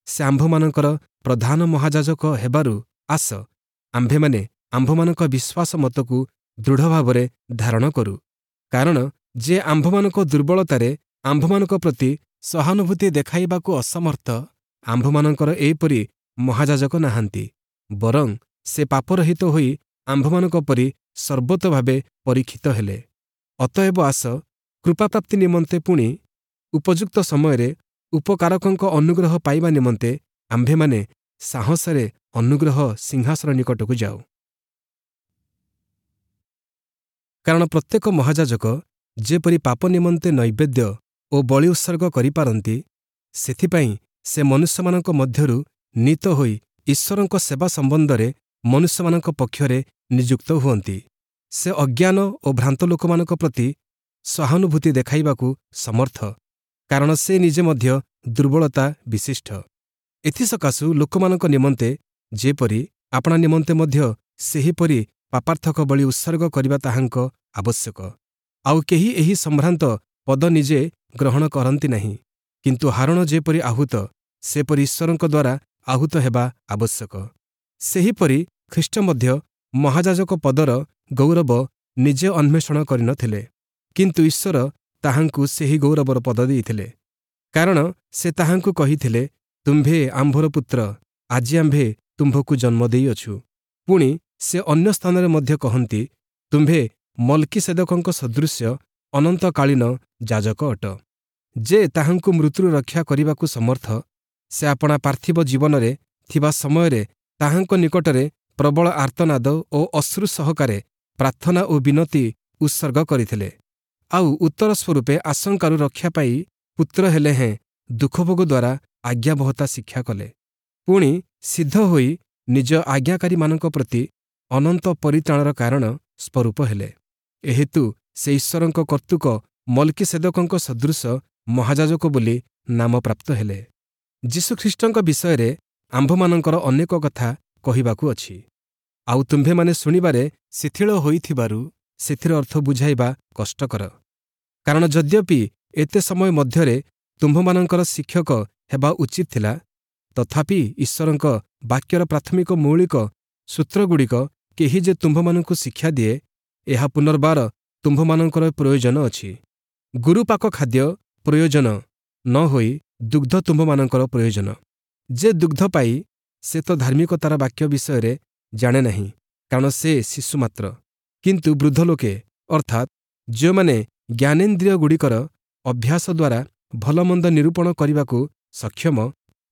ସେ ଆମ୍ଭମାନଙ୍କର ପ୍ରଧାନ ମହାଯାଜକ ହେବାରୁ ଆସ, ଆମ୍ଭେମାନେ ଆମ୍ଭମାନଙ୍କ ବିଶ୍ୱାସ ମତକୁ ଦୃଢ଼ଭାବରେ ଧାରଣ କରୁ। କାରଣ ଯେ ଆମ୍ଭମାନଙ୍କ ଦୁର୍ବଳତାରେ ଆମ୍ଭମାନଙ୍କ ପ୍ରତି ସହାନୁଭୂତି ଦେଖାଇବାକୁ ଅସମର୍ଥ, ଆମ୍ଭମାନଙ୍କର ଏହିପରି ମହାଯାଜକ ନାହାନ୍ତି, ବରଂ ସେ ପାପରହିତ ହୋଇ ଆମ୍ଭମାନଙ୍କ ପରି ସର୍ବତୋଭାବେ ପରୀକ୍ଷିତ ହେଲେ। ଅତଏବ ଆସ, କୃପାପ୍ରାପ୍ତି ନିମନ୍ତେ ପୁଣି ଉପଯୁକ୍ତ ସମୟରେ ଉପକାରକଙ୍କ ଅନୁଗ୍ରହ ପାଇବା ନିମନ୍ତେ ଆମ୍ଭେମାନେ ସାହସରେ ଅନୁଗ୍ରହ ସିଂହାସନ ନିକଟକୁ ଯାଉ। କାରଣ ପ୍ରତ୍ୟେକ ମହାଯାଜକ ଯେପରି ପାପ ନିମନ୍ତେ ନୈବେଦ୍ୟ ଓ ବଳି ଉତ୍ସର୍ଗ କରିପାରନ୍ତି, ସେଥିପାଇଁ ସେ ମନୁଷ୍ୟମାନଙ୍କ ମଧ୍ୟରୁ ନୀତ ହୋଇ ଈଶ୍ୱରଙ୍କ ସେବା ସମ୍ବନ୍ଧରେ ମନୁଷ୍ୟମାନଙ୍କ ପକ୍ଷରେ ନିଯୁକ୍ତ ହୁଅନ୍ତି। ସେ ଅଜ୍ଞାନ ଓ ଭ୍ରାନ୍ତ ଲୋକମାନଙ୍କ ପ୍ରତି ସହାନୁଭୂତି ଦେଖାଇବାକୁ ସମର୍ଥ, କାରଣ ସେ ନିଜେ ମଧ୍ୟ ଦୁର୍ବଳତା ବିଶିଷ୍ଟ। ଏଥିସକାଶୁ ଲୋକମାନଙ୍କ ନିମନ୍ତେ ଯେପରି, ଆପଣା ନିମନ୍ତେ ମଧ୍ୟ ସେହିପରି ପାପାର୍ଥକ ବଳି ଉତ୍ସର୍ଗ କରିବା ତାହାଙ୍କ ଆବଶ୍ୟକ। ଆଉ କେହି ଏହି ସମ୍ଭ୍ରାନ୍ତ ପଦ ନିଜେ ଗ୍ରହଣ କରନ୍ତି ନାହିଁ, କିନ୍ତୁ ହାରୋଣ ଯେପରି ଆହୁତ, ସେପରି ଈଶ୍ୱରଙ୍କ ଦ୍ୱାରା ଆହୁତ ହେବା ଆବଶ୍ୟକ। ସେହିପରି ଖ୍ରୀଷ୍ଟ ମଧ୍ୟ ମହାଯାଜକ ପଦର ଗୌରବ ନିଜେ ଅନ୍ୱେଷଣ କରିନଥିଲେ, କିନ୍ତୁ ଈଶ୍ୱର ତାହାଙ୍କୁ ସେହି ଗୌରବର ପଦ ଦେଇଥିଲେ। କାରଣ ସେ ତାହାଙ୍କୁ କହିଥିଲେ, ତୁମ୍ଭେ ଆମ୍ଭର ପୁତ୍ର, ଆଜି ଆମ୍ଭେ ତୁମ୍ଭକୁ ଜନ୍ମ ଦେଇଅଛୁ। ପୁଣି ସେ ଅନ୍ୟ ସ୍ଥାନରେ ମଧ୍ୟ କହନ୍ତି, ତୁମ୍ଭେ ମଲ୍କିସେଦକଙ୍କ ସଦୃଶ୍ୟ ଅନନ୍ତକାଳୀନ ଯାଜକ ଅଟ। ଯେ ତାହାଙ୍କୁ ମୃତ୍ୟୁରୁ ରକ୍ଷା କରିବାକୁ ସମର୍ଥ, ସେ ଆପଣା ପାର୍ଥିବ ଜୀବନରେ ଥିବା ସମୟରେ ତାହାଙ୍କ ନିକଟରେ ପ୍ରବଳ ଆର୍ତ୍ତନାଦ ଓ ଅଶ୍ରୁ ସହକାରେ ପ୍ରାର୍ଥନା ଓ ବିନତି ଉତ୍ସର୍ଗ କରିଥିଲେ। ଆଉ ଉତ୍ତର ସ୍ୱରୂପେ ଆଶଙ୍କାରୁ ରକ୍ଷା ପାଇ ପୁତ୍ର ହେଲେ ହେଁ ଦୁଃଖଭୋଗ ଦ୍ୱାରା ଆଜ୍ଞାବହତା ଶିକ୍ଷା କଲେ। ପୁଣି ସିଦ୍ଧ ହୋଇ ନିଜ ଆଜ୍ଞାକାରୀମାନଙ୍କ ପ୍ରତି ଅନନ୍ତ ପରିତ୍ରାଣର କାରଣ ସ୍ୱରୂପ ହେଲେ। ଏହେତୁ ସେ ଈଶ୍ୱରଙ୍କ କର୍ତ୍ତୃକ ମଲ୍କିସେଦକଙ୍କ ସଦୃଶ ମହାଯାଜକ ବୋଲି ନାମ ପ୍ରାପ୍ତ ହେଲେ। ଯୀଶୁଖ୍ରୀଷ୍ଟଙ୍କ ବିଷୟରେ ଆମ୍ଭମାନଙ୍କର ଅନେକ କଥା କହିବାକୁ ଅଛି, ଆଉ ତୁମ୍ଭେମାନେ ଶୁଣିବାରେ ଶିଥିଳ ହୋଇଥିବାରୁ ସେଥିର ଅର୍ଥ ବୁଝାଇବା କଷ୍ଟକର। କାରଣ ଯଦ୍ୟପି ଏତେ ସମୟ ମଧ୍ୟରେ ତୁମ୍ଭମାନଙ୍କର ଶିକ୍ଷକ ହେବା ଉଚିତ ଥିଲା, ତଥାପି ଈଶ୍ୱରଙ୍କ ବାକ୍ୟର ପ୍ରାଥମିକ ମୌଳିକ ସୂତ୍ରଗୁଡ଼ିକ କେହି ଯେ ତୁମ୍ଭମାନଙ୍କୁ ଶିକ୍ଷା ଦିଏ, ଏହା ପୁନର୍ବାର ତୁମ୍ଭମାନଙ୍କର ପ୍ରୟୋଜନ ଅଛି। ଗୁରୁପାକ ଖାଦ୍ୟ ପ୍ରୟୋଜନ ନ ହୋଇ ଦୁଗ୍ଧ ତୁମ୍ଭମାନଙ୍କର ପ୍ରୟୋଜନ। ଯେ ଦୁଗ୍ଧ ପାଇ ସେ ତ ଧାର୍ମିକତାର ବାକ୍ୟ ବିଷୟରେ ଜାଣେ ନାହିଁ, କାରଣ ସେ ଶିଶୁ ମାତ୍ର। କିନ୍ତୁ ବୃଦ୍ଧ ଲୋକେ, ଅର୍ଥାତ୍ ଯେଉଁମାନେ ଜ୍ଞାନେନ୍ଦ୍ରିୟଗୁଡ଼ିକର ଅଭ୍ୟାସ ଦ୍ୱାରା ଭଲମନ୍ଦ ନିରୂପଣ କରିବାକୁ ସକ୍ଷମ,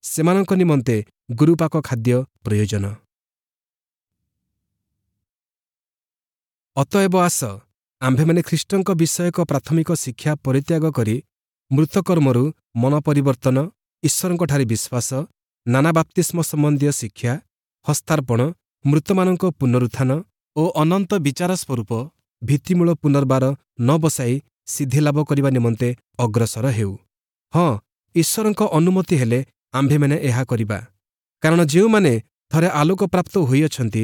ସେମାନଙ୍କ ନିମନ୍ତେ ଗୁରୁପାକ ଖାଦ୍ୟ ପ୍ରୟୋଜନ। ଅତଏବ ଆସ, ଆମ୍ଭେମାନେ ଖ୍ରୀଷ୍ଟଙ୍କ ବିଷୟକ ପ୍ରାଥମିକ ଶିକ୍ଷା ପରିତ୍ୟାଗ କରି ମୃତକର୍ମରୁ ମନ ପରିବର୍ତ୍ତନ, ଈଶ୍ୱରଙ୍କଠାରେ ବିଶ୍ୱାସ, ନାନା ବାପ୍ତିସ୍ମ ସମ୍ବନ୍ଧୀୟ ଶିକ୍ଷା, ହସ୍ତାର୍ପଣ, ମୃତମାନଙ୍କ ପୁନରୁତ୍ଥାନ ଓ ଅନନ୍ତ ବିଚାର ସ୍ୱରୂପ ଭିତ୍ତିମୂଳ ପୁନର୍ବାର ନ ବସାଇ ସିଦ୍ଧିଲାଭ କରିବା ନିମନ୍ତେ ଅଗ୍ରସର ହେଉ। ହଁ, ଈଶ୍ୱରଙ୍କ ଅନୁମତି ହେଲେ ଆମ୍ଭେମାନେ ଏହା କରିବା। କାରଣ ଯେଉଁମାନେ ଥରେ ଆଲୋକପ୍ରାପ୍ତ ହୋଇଅଛନ୍ତି,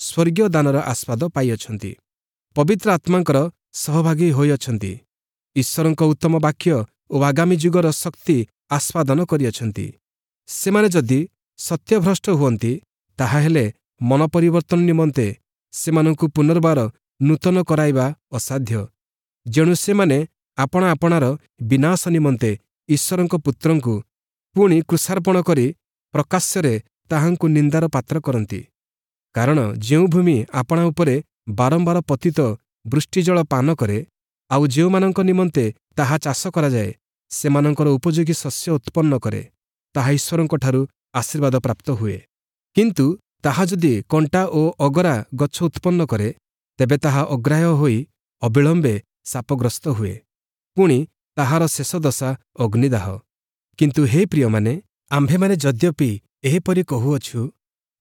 ସ୍ୱର୍ଗୀୟ ଦାନର ଆସ୍ୱାଦ ପାଇଅଛନ୍ତି, ପବିତ୍ର ଆତ୍ମାଙ୍କର ସହଭାଗୀ ହୋଇଅଛନ୍ତି, ଈଶ୍ୱରଙ୍କ ଉତ୍ତମ ବାକ୍ୟ ଓ ଆଗାମୀ ଯୁଗର ଶକ୍ତି ଆସ୍ୱାଦନ କରିଅଛନ୍ତି, ସେମାନେ ଯଦି ସତ୍ୟଭ୍ରଷ୍ଟ ହୁଅନ୍ତି, ତାହାହେଲେ ମନ ପରିବର୍ତ୍ତନ ନିମନ୍ତେ ସେମାନଙ୍କୁ ପୁନର୍ବାର ନୂତନ କରାଇବା ଅସାଧ୍ୟ। ଯେଣୁ ସେମାନେ ଆପଣା ଆପଣାର ବିନାଶ ନିମନ୍ତେ ଈଶ୍ୱରଙ୍କ ପୁତ୍ରଙ୍କୁ ପୁଣି କ୍ରୁଶାର୍ପଣ କରି ପ୍ରକାଶ୍ୟରେ ତାହାଙ୍କୁ ନିନ୍ଦାର ପାତ୍ର କରନ୍ତି। କାରଣ ଯେଉଁ ଭୂମି ଆପଣା ଉପରେ ବାରମ୍ବାର ପତିତ ବୃଷ୍ଟିଜଳ ପାନ କରେ, ଆଉ ଯେଉଁମାନଙ୍କ ନିମନ୍ତେ ତାହା ଚାଷ କରାଯାଏ, ସେମାନଙ୍କର ଉପଯୋଗୀ ଶସ୍ୟ ଉତ୍ପନ୍ନ କରେ, ତାହା ଈଶ୍ୱରଙ୍କଠାରୁ ଆଶୀର୍ବାଦ ପ୍ରାପ୍ତ ହୁଏ। କିନ୍ତୁ ତାହା ଯଦି କଣ୍ଟା ଓ ଅଗରା ଗଛ ଉତ୍ପନ୍ନ କରେ, ତେବେ ତାହା ଅଗ୍ରାହ୍ୟ ହୋଇ ଅବିଳମ୍ବେ ଶାପଗ୍ରସ୍ତ ହୁଏ, ପୁଣି ତାହାର ଶେଷ ଦଶା ଅଗ୍ନିଦାହ। କିନ୍ତୁ ହେ ପ୍ରିୟମାନେ, ଆମ୍ଭେମାନେ ଯଦ୍ୟପି ଏହିପରି କହୁଅଛୁ,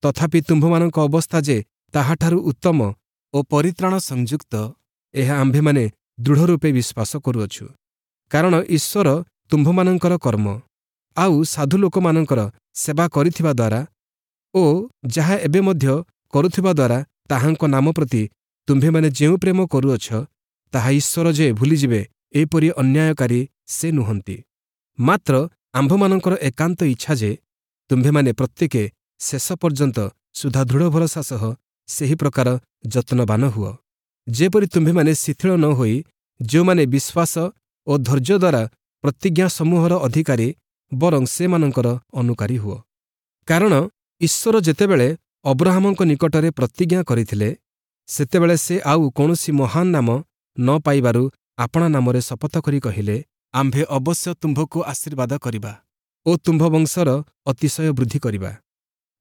ତଥାପି ତୁମ୍ଭମାନଙ୍କ ଅବସ୍ଥା ଯେ ତାହାଠାରୁ ଉତ୍ତମ ଓ ପରିତ୍ରାଣ ସଂଯୁକ୍ତ, ଏହା ଆମ୍ଭେମାନେ ଦୃଢ଼ରୂପେ ବିଶ୍ୱାସ କରୁଅଛୁ। କାରଣ ଈଶ୍ୱର ତୁମ୍ଭମାନଙ୍କର କର୍ମ ଆଉ ସାଧୁ ଲୋକମାନଙ୍କର ସେବା କରିଥିବା ଦ୍ୱାରା ଓ ଯାହା ଏବେ ମଧ୍ୟ କରୁଥିବା ଦ୍ୱାରା ତାହାଙ୍କ ନାମ ପ୍ରତି ତୁମ୍ଭେମାନେ ଯେଉଁ ପ୍ରେମ କରୁଅଛ, ତାହା ଈଶ୍ୱର ଯେ ଭୁଲିଯିବେ, ଏପରି ଅନ୍ୟାୟକାରୀ ସେ ନୁହନ୍ତି। ମାତ୍ର ଆମ୍ଭମାନଙ୍କର ଏକାନ୍ତ ଇଚ୍ଛା ଯେ ତୁମ୍ଭେମାନେ ପ୍ରତ୍ୟେକେ ଶେଷ ପର୍ଯ୍ୟନ୍ତ ସୁଦ୍ଧା ଦୃଢ଼ ଭରସା ସହ ସେହି ପ୍ରକାର ଯତ୍ନବାନ ହୁଅ। ଯେପରି ତୁମ୍ଭେମାନେ ଶିଥିଳ ନ ହୋଇ ଯେଉଁମାନେ ବିଶ୍ୱାସ ଓ ଧୈର୍ଯ୍ୟ ଦ୍ୱାରା ପ୍ରତିଜ୍ଞା ସମୂହର ଅଧିକାରୀ ବରଂ ସେମାନଙ୍କର ଅନୁକାରୀ ହୁଅ। କାରଣ ଈଶ୍ୱର ଯେତେବେଳେ ଅବ୍ରହାମଙ୍କ ନିକଟରେ ପ୍ରତିଜ୍ଞା କରିଥିଲେ, ସେତେବେଳେ ସେ ଆଉ କୌଣସି ମହାନ ନାମ ନ ପାଇବାରୁ ଆପଣା ନାମରେ ଶପଥ କରି କହିଲେ, ଆମ୍ଭେ ଅବଶ୍ୟ ତୁମ୍ଭକୁ ଆଶୀର୍ବାଦ କରିବା ଓ ତୁମ୍ଭ ବଂଶର ଅତିଶୟ ବୃଦ୍ଧି କରିବା।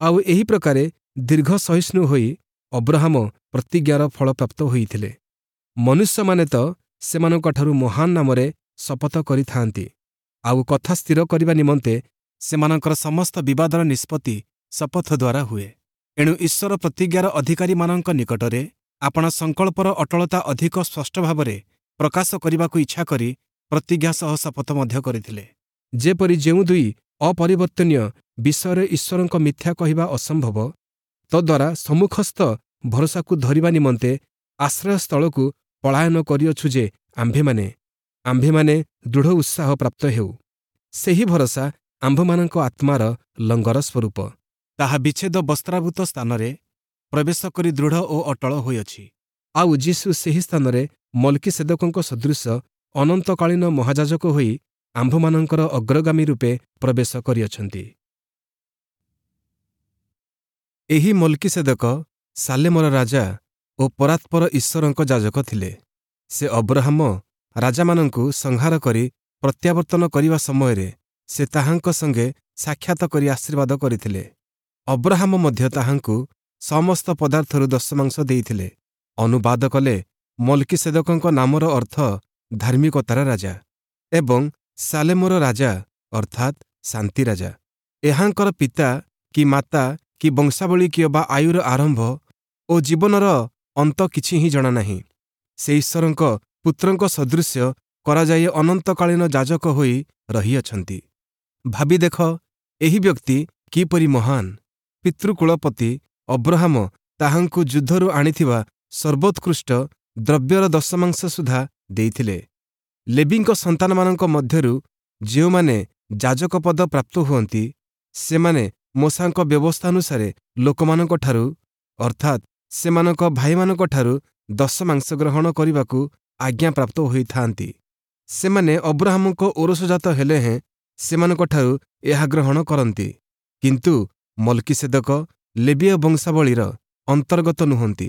ଆଉ ଏହି ପ୍ରକାରେ ଦୀର୍ଘ ସହିଷ୍ଣୁ ହୋଇ ଅବ୍ରହାମ ପ୍ରତିଜ୍ଞାର ଫଳପ୍ରାପ୍ତ ହୋଇଥିଲେ। ମନୁଷ୍ୟମାନେ ତ ସେମାନଙ୍କଠାରୁ ମହାନ ନାମରେ ଶପଥ କରିଥାଆନ୍ତି, ଆଉ କଥା ସ୍ଥିର କରିବା ନିମନ୍ତେ ସେମାନଙ୍କର ସମସ୍ତ ବିବାଦର ନିଷ୍ପତ୍ତି ଶପଥ ଦ୍ୱାରା ହୁଏ। ଏଣୁ ଈଶ୍ୱର ପ୍ରତିଜ୍ଞାର ଅଧିକାରୀମାନଙ୍କ ନିକଟରେ ଆପଣା ସଂକଳ୍ପର ଅଟଳତା ଅଧିକ ସ୍ପଷ୍ଟ ଭାବରେ ପ୍ରକାଶ କରିବାକୁ ଇଚ୍ଛା କରି ପ୍ରତିଜ୍ଞା ସହ ଶପଥ ମଧ୍ୟ କରିଥିଲେ। ଯେପରି ଯେଉଁ ଦୁଇ ଅପରିବର୍ତ୍ତନୀୟ ବିଷୟରେ ଈଶ୍ୱରଙ୍କ ମିଥ୍ୟା କହିବା ଅସମ୍ଭବ, ତଦ୍ୱାରା ସମ୍ମୁଖସ୍ଥ ଭରସାକୁ ଧରିବା ନିମନ୍ତେ ଆଶ୍ରୟସ୍ଥଳକୁ ପଳାୟନ କରିଅଛୁ ଯେ ଆମ୍ଭେମାନେ ଆମ୍ଭେମାନେ ଦୃଢ଼ ଉତ୍ସାହ ପ୍ରାପ୍ତ ହେଉ। ସେହି ଭରସା ଆମ୍ଭମାନଙ୍କ ଆତ୍ମାର ଲଙ୍ଗର ସ୍ୱରୂପ। ତାହା ବିଚ୍ଛେଦ ବସ୍ତ୍ରାବୃତ ସ୍ଥାନରେ ପ୍ରବେଶ କରି ଦୃଢ଼ ଓ ଅଟଳ ହୋଇଅଛି। ଆଉ ଯୀଶୁ ସେହି ସ୍ଥାନରେ ମଲ୍କିସେଦକଙ୍କ ସଦୃଶ ଅନନ୍ତକାଳୀନ ମହାଯାଜକ ହୋଇ ଆମ୍ଭମାନଙ୍କର ଅଗ୍ରଗାମୀ ରୂପେ ପ୍ରବେଶ କରିଅଛନ୍ତି। ଏହି ମଲ୍କିସେଦକ ସାଲେମର ରାଜା ଓ ପରାତ୍ପର ଈଶ୍ୱରଙ୍କ ଯାଜକ ଥିଲେ। ସେ ଅବ୍ରହାମ ରାଜାମାନଙ୍କୁ ସଂହାର କରି ପ୍ରତ୍ୟାବର୍ତ୍ତନ କରିବା ସମୟରେ ସେ ତାହାଙ୍କ ସଙ୍ଗେ ସାକ୍ଷାତ କରି ଆଶୀର୍ବାଦ କରିଥିଲେ। ଅବ୍ରହାମ ମଧ୍ୟ ତାହାଙ୍କୁ ସମସ୍ତ ପଦାର୍ଥରୁ ଦଶମାଂଶ ଦେଇଥିଲେ। ଅନୁବାଦ କଲେ ମଲ୍କିସେଦକଙ୍କ ନାମର ଅର୍ଥ ଧାର୍ମିକତାର ରାଜା ଏବଂ ସାଲେମର ରାଜା ଅର୍ଥାତ୍ ଶାନ୍ତି ରାଜା। ଏହାଙ୍କର ପିତା କି ମାତା କି ବଂଶାବଳୀ କିଅବା ଆୟୁର ଆରମ୍ଭ ଓ ଜୀବନର ଅନ୍ତ କିଛି ହିଁ ଜଣାନାହିଁ। ସେ ଈଶ୍ୱରଙ୍କ ପୁତ୍ରଙ୍କ ସଦୃଶ୍ୟ କରାଯାଇ ଅନନ୍ତକାଳୀନ ଯାଜକ ହୋଇ ରହିଅଛନ୍ତି। ଭାବି ଦେଖ, ଏହି ବ୍ୟକ୍ତି କିପରି ମହାନ! ପିତୃକୁଳପତି ଅବ୍ରହାମ ତାହାଙ୍କୁ ଯୁଦ୍ଧରୁ ଆଣିଥିବା ସର୍ବୋତ୍କୃଷ୍ଟ ଦ୍ରବ୍ୟର ଦଶମାଂଶ ସୁଦ୍ଧା ଦେଇଥିଲେ। ଲେବୀଙ୍କ ସନ୍ତାନମାନଙ୍କ ମଧ୍ୟରୁ ଯେଉଁମାନେ ଯାଜକ ପଦ ପ୍ରାପ୍ତ ହୁଅନ୍ତି, ସେମାନେ ମୋଶାଙ୍କ ବ୍ୟବସ୍ଥାନୁସାରେ ଲୋକମାନଙ୍କଠାରୁ ଅର୍ଥାତ୍ ସେମାନଙ୍କ ଭାଇମାନଙ୍କଠାରୁ ଦଶମାଂଶ ଗ୍ରହଣ କରିବାକୁ ଆଜ୍ଞାପ୍ରାପ୍ତ ହୋଇଥାନ୍ତି। ସେମାନେ ଅବ୍ରହାମଙ୍କ ଔରସଜାତ ହେଲେ ହେଁ ସେମାନଙ୍କଠାରୁ ଏହା ଗ୍ରହଣ କରନ୍ତି। କିନ୍ତୁ ମଲ୍କିସେଦକ ଲେବୀୟ ବଂଶାବଳୀର ଅନ୍ତର୍ଗତ ନୁହନ୍ତି।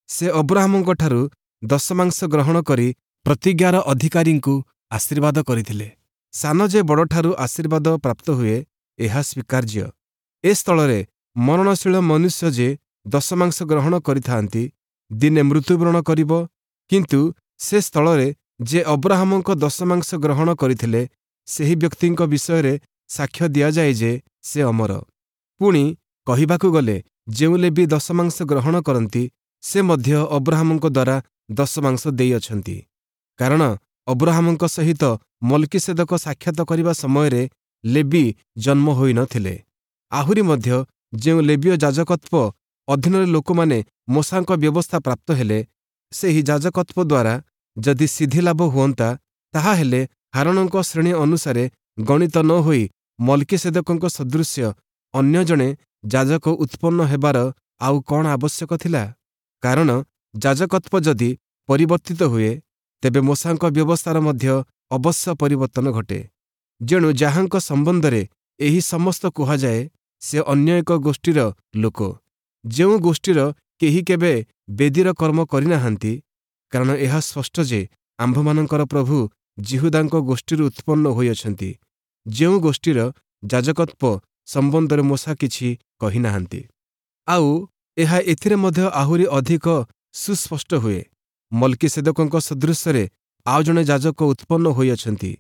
ସେ ଅବ୍ରହାମଙ୍କଠାରୁ ଦଶମାଂଶ ଗ୍ରହଣ କରି ପ୍ରତିଜ୍ଞାର ଅଧିକାରୀଙ୍କୁ ଆଶୀର୍ବାଦ କରିଥିଲେ। ସାନ ଯେ ବଡ଼ଠାରୁ ଆଶୀର୍ବାଦ ପ୍ରାପ୍ତ ହୁଏ, ଏହା ସ୍ୱୀକାର୍ଯ୍ୟ। ଏ ସ୍ଥଳରେ ମରଣଶୀଳ ମନୁଷ୍ୟ ଯେ ଦଶମାଂଶ ଗ୍ରହଣ କରିଥାନ୍ତି, ଦିନେ ମୃତ୍ୟୁବରଣ କରିବ, କିନ୍ତୁ ସେ ସ୍ଥଳରେ ଯେ ଅବ୍ରହାମଙ୍କ ଦଶମାଂଶ ଗ୍ରହଣ କରିଥିଲେ, ସେହି ବ୍ୟକ୍ତିଙ୍କ ବିଷୟରେ ସାକ୍ଷ୍ୟ ଦିଆଯାଏ ଯେ ସେ ଅମର। ପୁଣି କହିବାକୁ ଗଲେ ଯେଉଁ ଲେବୀ ଦଶମାଂଶ ଗ୍ରହଣ କରନ୍ତି, ସେ ମଧ୍ୟ ଅବ୍ରହାମଙ୍କ ଦ୍ୱାରା ଦଶମାଂଶ ଦେଇଅଛନ୍ତି। କାରଣ ଅବ୍ରହାମଙ୍କ ସହିତ ମଲ୍କିସେଦକ ସାକ୍ଷାତ କରିବା ସମୟରେ ଲେବୀ ଜନ୍ମ ହୋଇନଥିଲେ। ଆହୁରି ମଧ୍ୟ ଯେଉଁ ଲେବୀୟ ଯାଜକତ୍ୱ ଅଧୀନରେ ଲୋକମାନେ ମୋଶାଙ୍କ ବ୍ୟବସ୍ଥା ପ୍ରାପ୍ତ ହେଲେ, ସେହି ଯାଜକତ୍ୱ ଦ୍ୱାରା ଯଦି ସିଦ୍ଧିଲାଭ ହୁଅନ୍ତା, ତାହାହେଲେ ହାରୋଣଙ୍କ ଶ୍ରେଣୀ ଅନୁସାରେ ଗଣିତ ନ ହୋଇ ମଲ୍କିସେଦକଙ୍କ ସଦୃଶ୍ୟ ଅନ୍ୟ ଜଣେ ଯାଜକ ଉତ୍ପନ୍ନ ହେବାର ଆଉ କ'ଣ ଆବଶ୍ୟକ ଥିଲା? କାରଣ ଯାଜକତ୍ୱ ଯଦି ପରିବର୍ତ୍ତିତ ହୁଏ, ତେବେ ମୋଶାଙ୍କ ବ୍ୟବସ୍ଥାର ମଧ୍ୟ ଅବଶ୍ୟ ପରିବର୍ତ୍ତନ ଘଟେ। ଯେଣୁ ଯାହାଙ୍କ ସମ୍ବନ୍ଧରେ ଏହି ସମସ୍ତ କୁହାଯାଏ, ସେ ଅନ୍ୟ ଏକ ଗୋଷ୍ଠୀର ଲୋକ, ଯେଉଁ ଗୋଷ୍ଠୀର କେହି କେବେ ବେଦୀର କର୍ମ କରିନାହାନ୍ତି। କାରଣ ଏହା ସ୍ପଷ୍ଟ ଯେ ଆମ୍ଭମାନଙ୍କର ପ୍ରଭୁ ଯିହୁଦାଙ୍କ ଗୋଷ୍ଠୀରୁ ଉତ୍ପନ୍ନ ହୋଇଅଛନ୍ତି, ଯେଉଁ ଗୋଷ୍ଠୀର ଯାଜକତ୍ୱ ସମ୍ବନ୍ଧରେ ମୋଶା କିଛି କହିନାହାନ୍ତି। ଆଉ ଏହା ଏଥିରେ ମଧ୍ୟ ଆହୁରି ଅଧିକ ସୁସ୍ପଷ୍ଟ ହୁଏ, ମଲ୍କିସେଦକଙ୍କ ସଦୃଶ୍ୟରେ ଆଉ ଜଣେ ଯାଜକ ଉତ୍ପନ୍ନ ହୋଇଅଛନ୍ତି।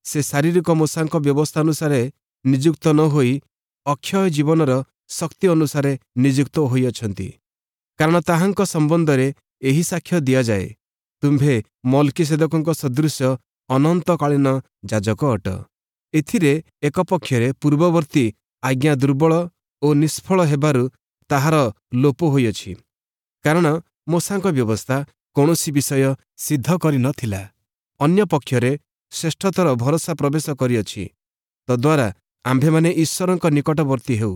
ସେ ଶାରୀରିକ ମୋଶାଙ୍କ ବ୍ୟବସ୍ଥାନୁସାରେ ନିଯୁକ୍ତ ନ ହୋଇ ଅକ୍ଷୟ ଜୀବନର ଶକ୍ତି ଅନୁସାରେ ନିଯୁକ୍ତ ହୋଇଅଛନ୍ତି। କାରଣ ତାହାଙ୍କ ସମ୍ବନ୍ଧରେ ଏହି ସାକ୍ଷ୍ୟ ଦିଆଯାଏ, ତୁମ୍ଭେ ମଲ୍କିସେଦକଙ୍କ ସଦୃଶ୍ୟ ଅନନ୍ତକାଳୀନ ଯାଜକ ଅଟ। ଏଥିରେ ଏକ ପକ୍ଷରେ ପୂର୍ବବର୍ତ୍ତୀ ଆଜ୍ଞା ଦୁର୍ବଳ ଓ ନିଷ୍ଫଳ ହେବାରୁ ତାହାର ଲୋପ ହୋଇଅଛି, କାରଣ ମୋଶାଙ୍କ ବ୍ୟବସ୍ଥା କୌଣସି ବିଷୟ ସିଦ୍ଧ କରିନଥିଲା। ଅନ୍ୟ ପକ୍ଷରେ ଶ୍ରେଷ୍ଠତର ଭରସା ପ୍ରବେଶ କରିଅଛି, ତଦ୍ୱାରା ଆମ୍ଭେମାନେ ଈଶ୍ୱରଙ୍କ ନିକଟବର୍ତ୍ତୀ ହେଉ।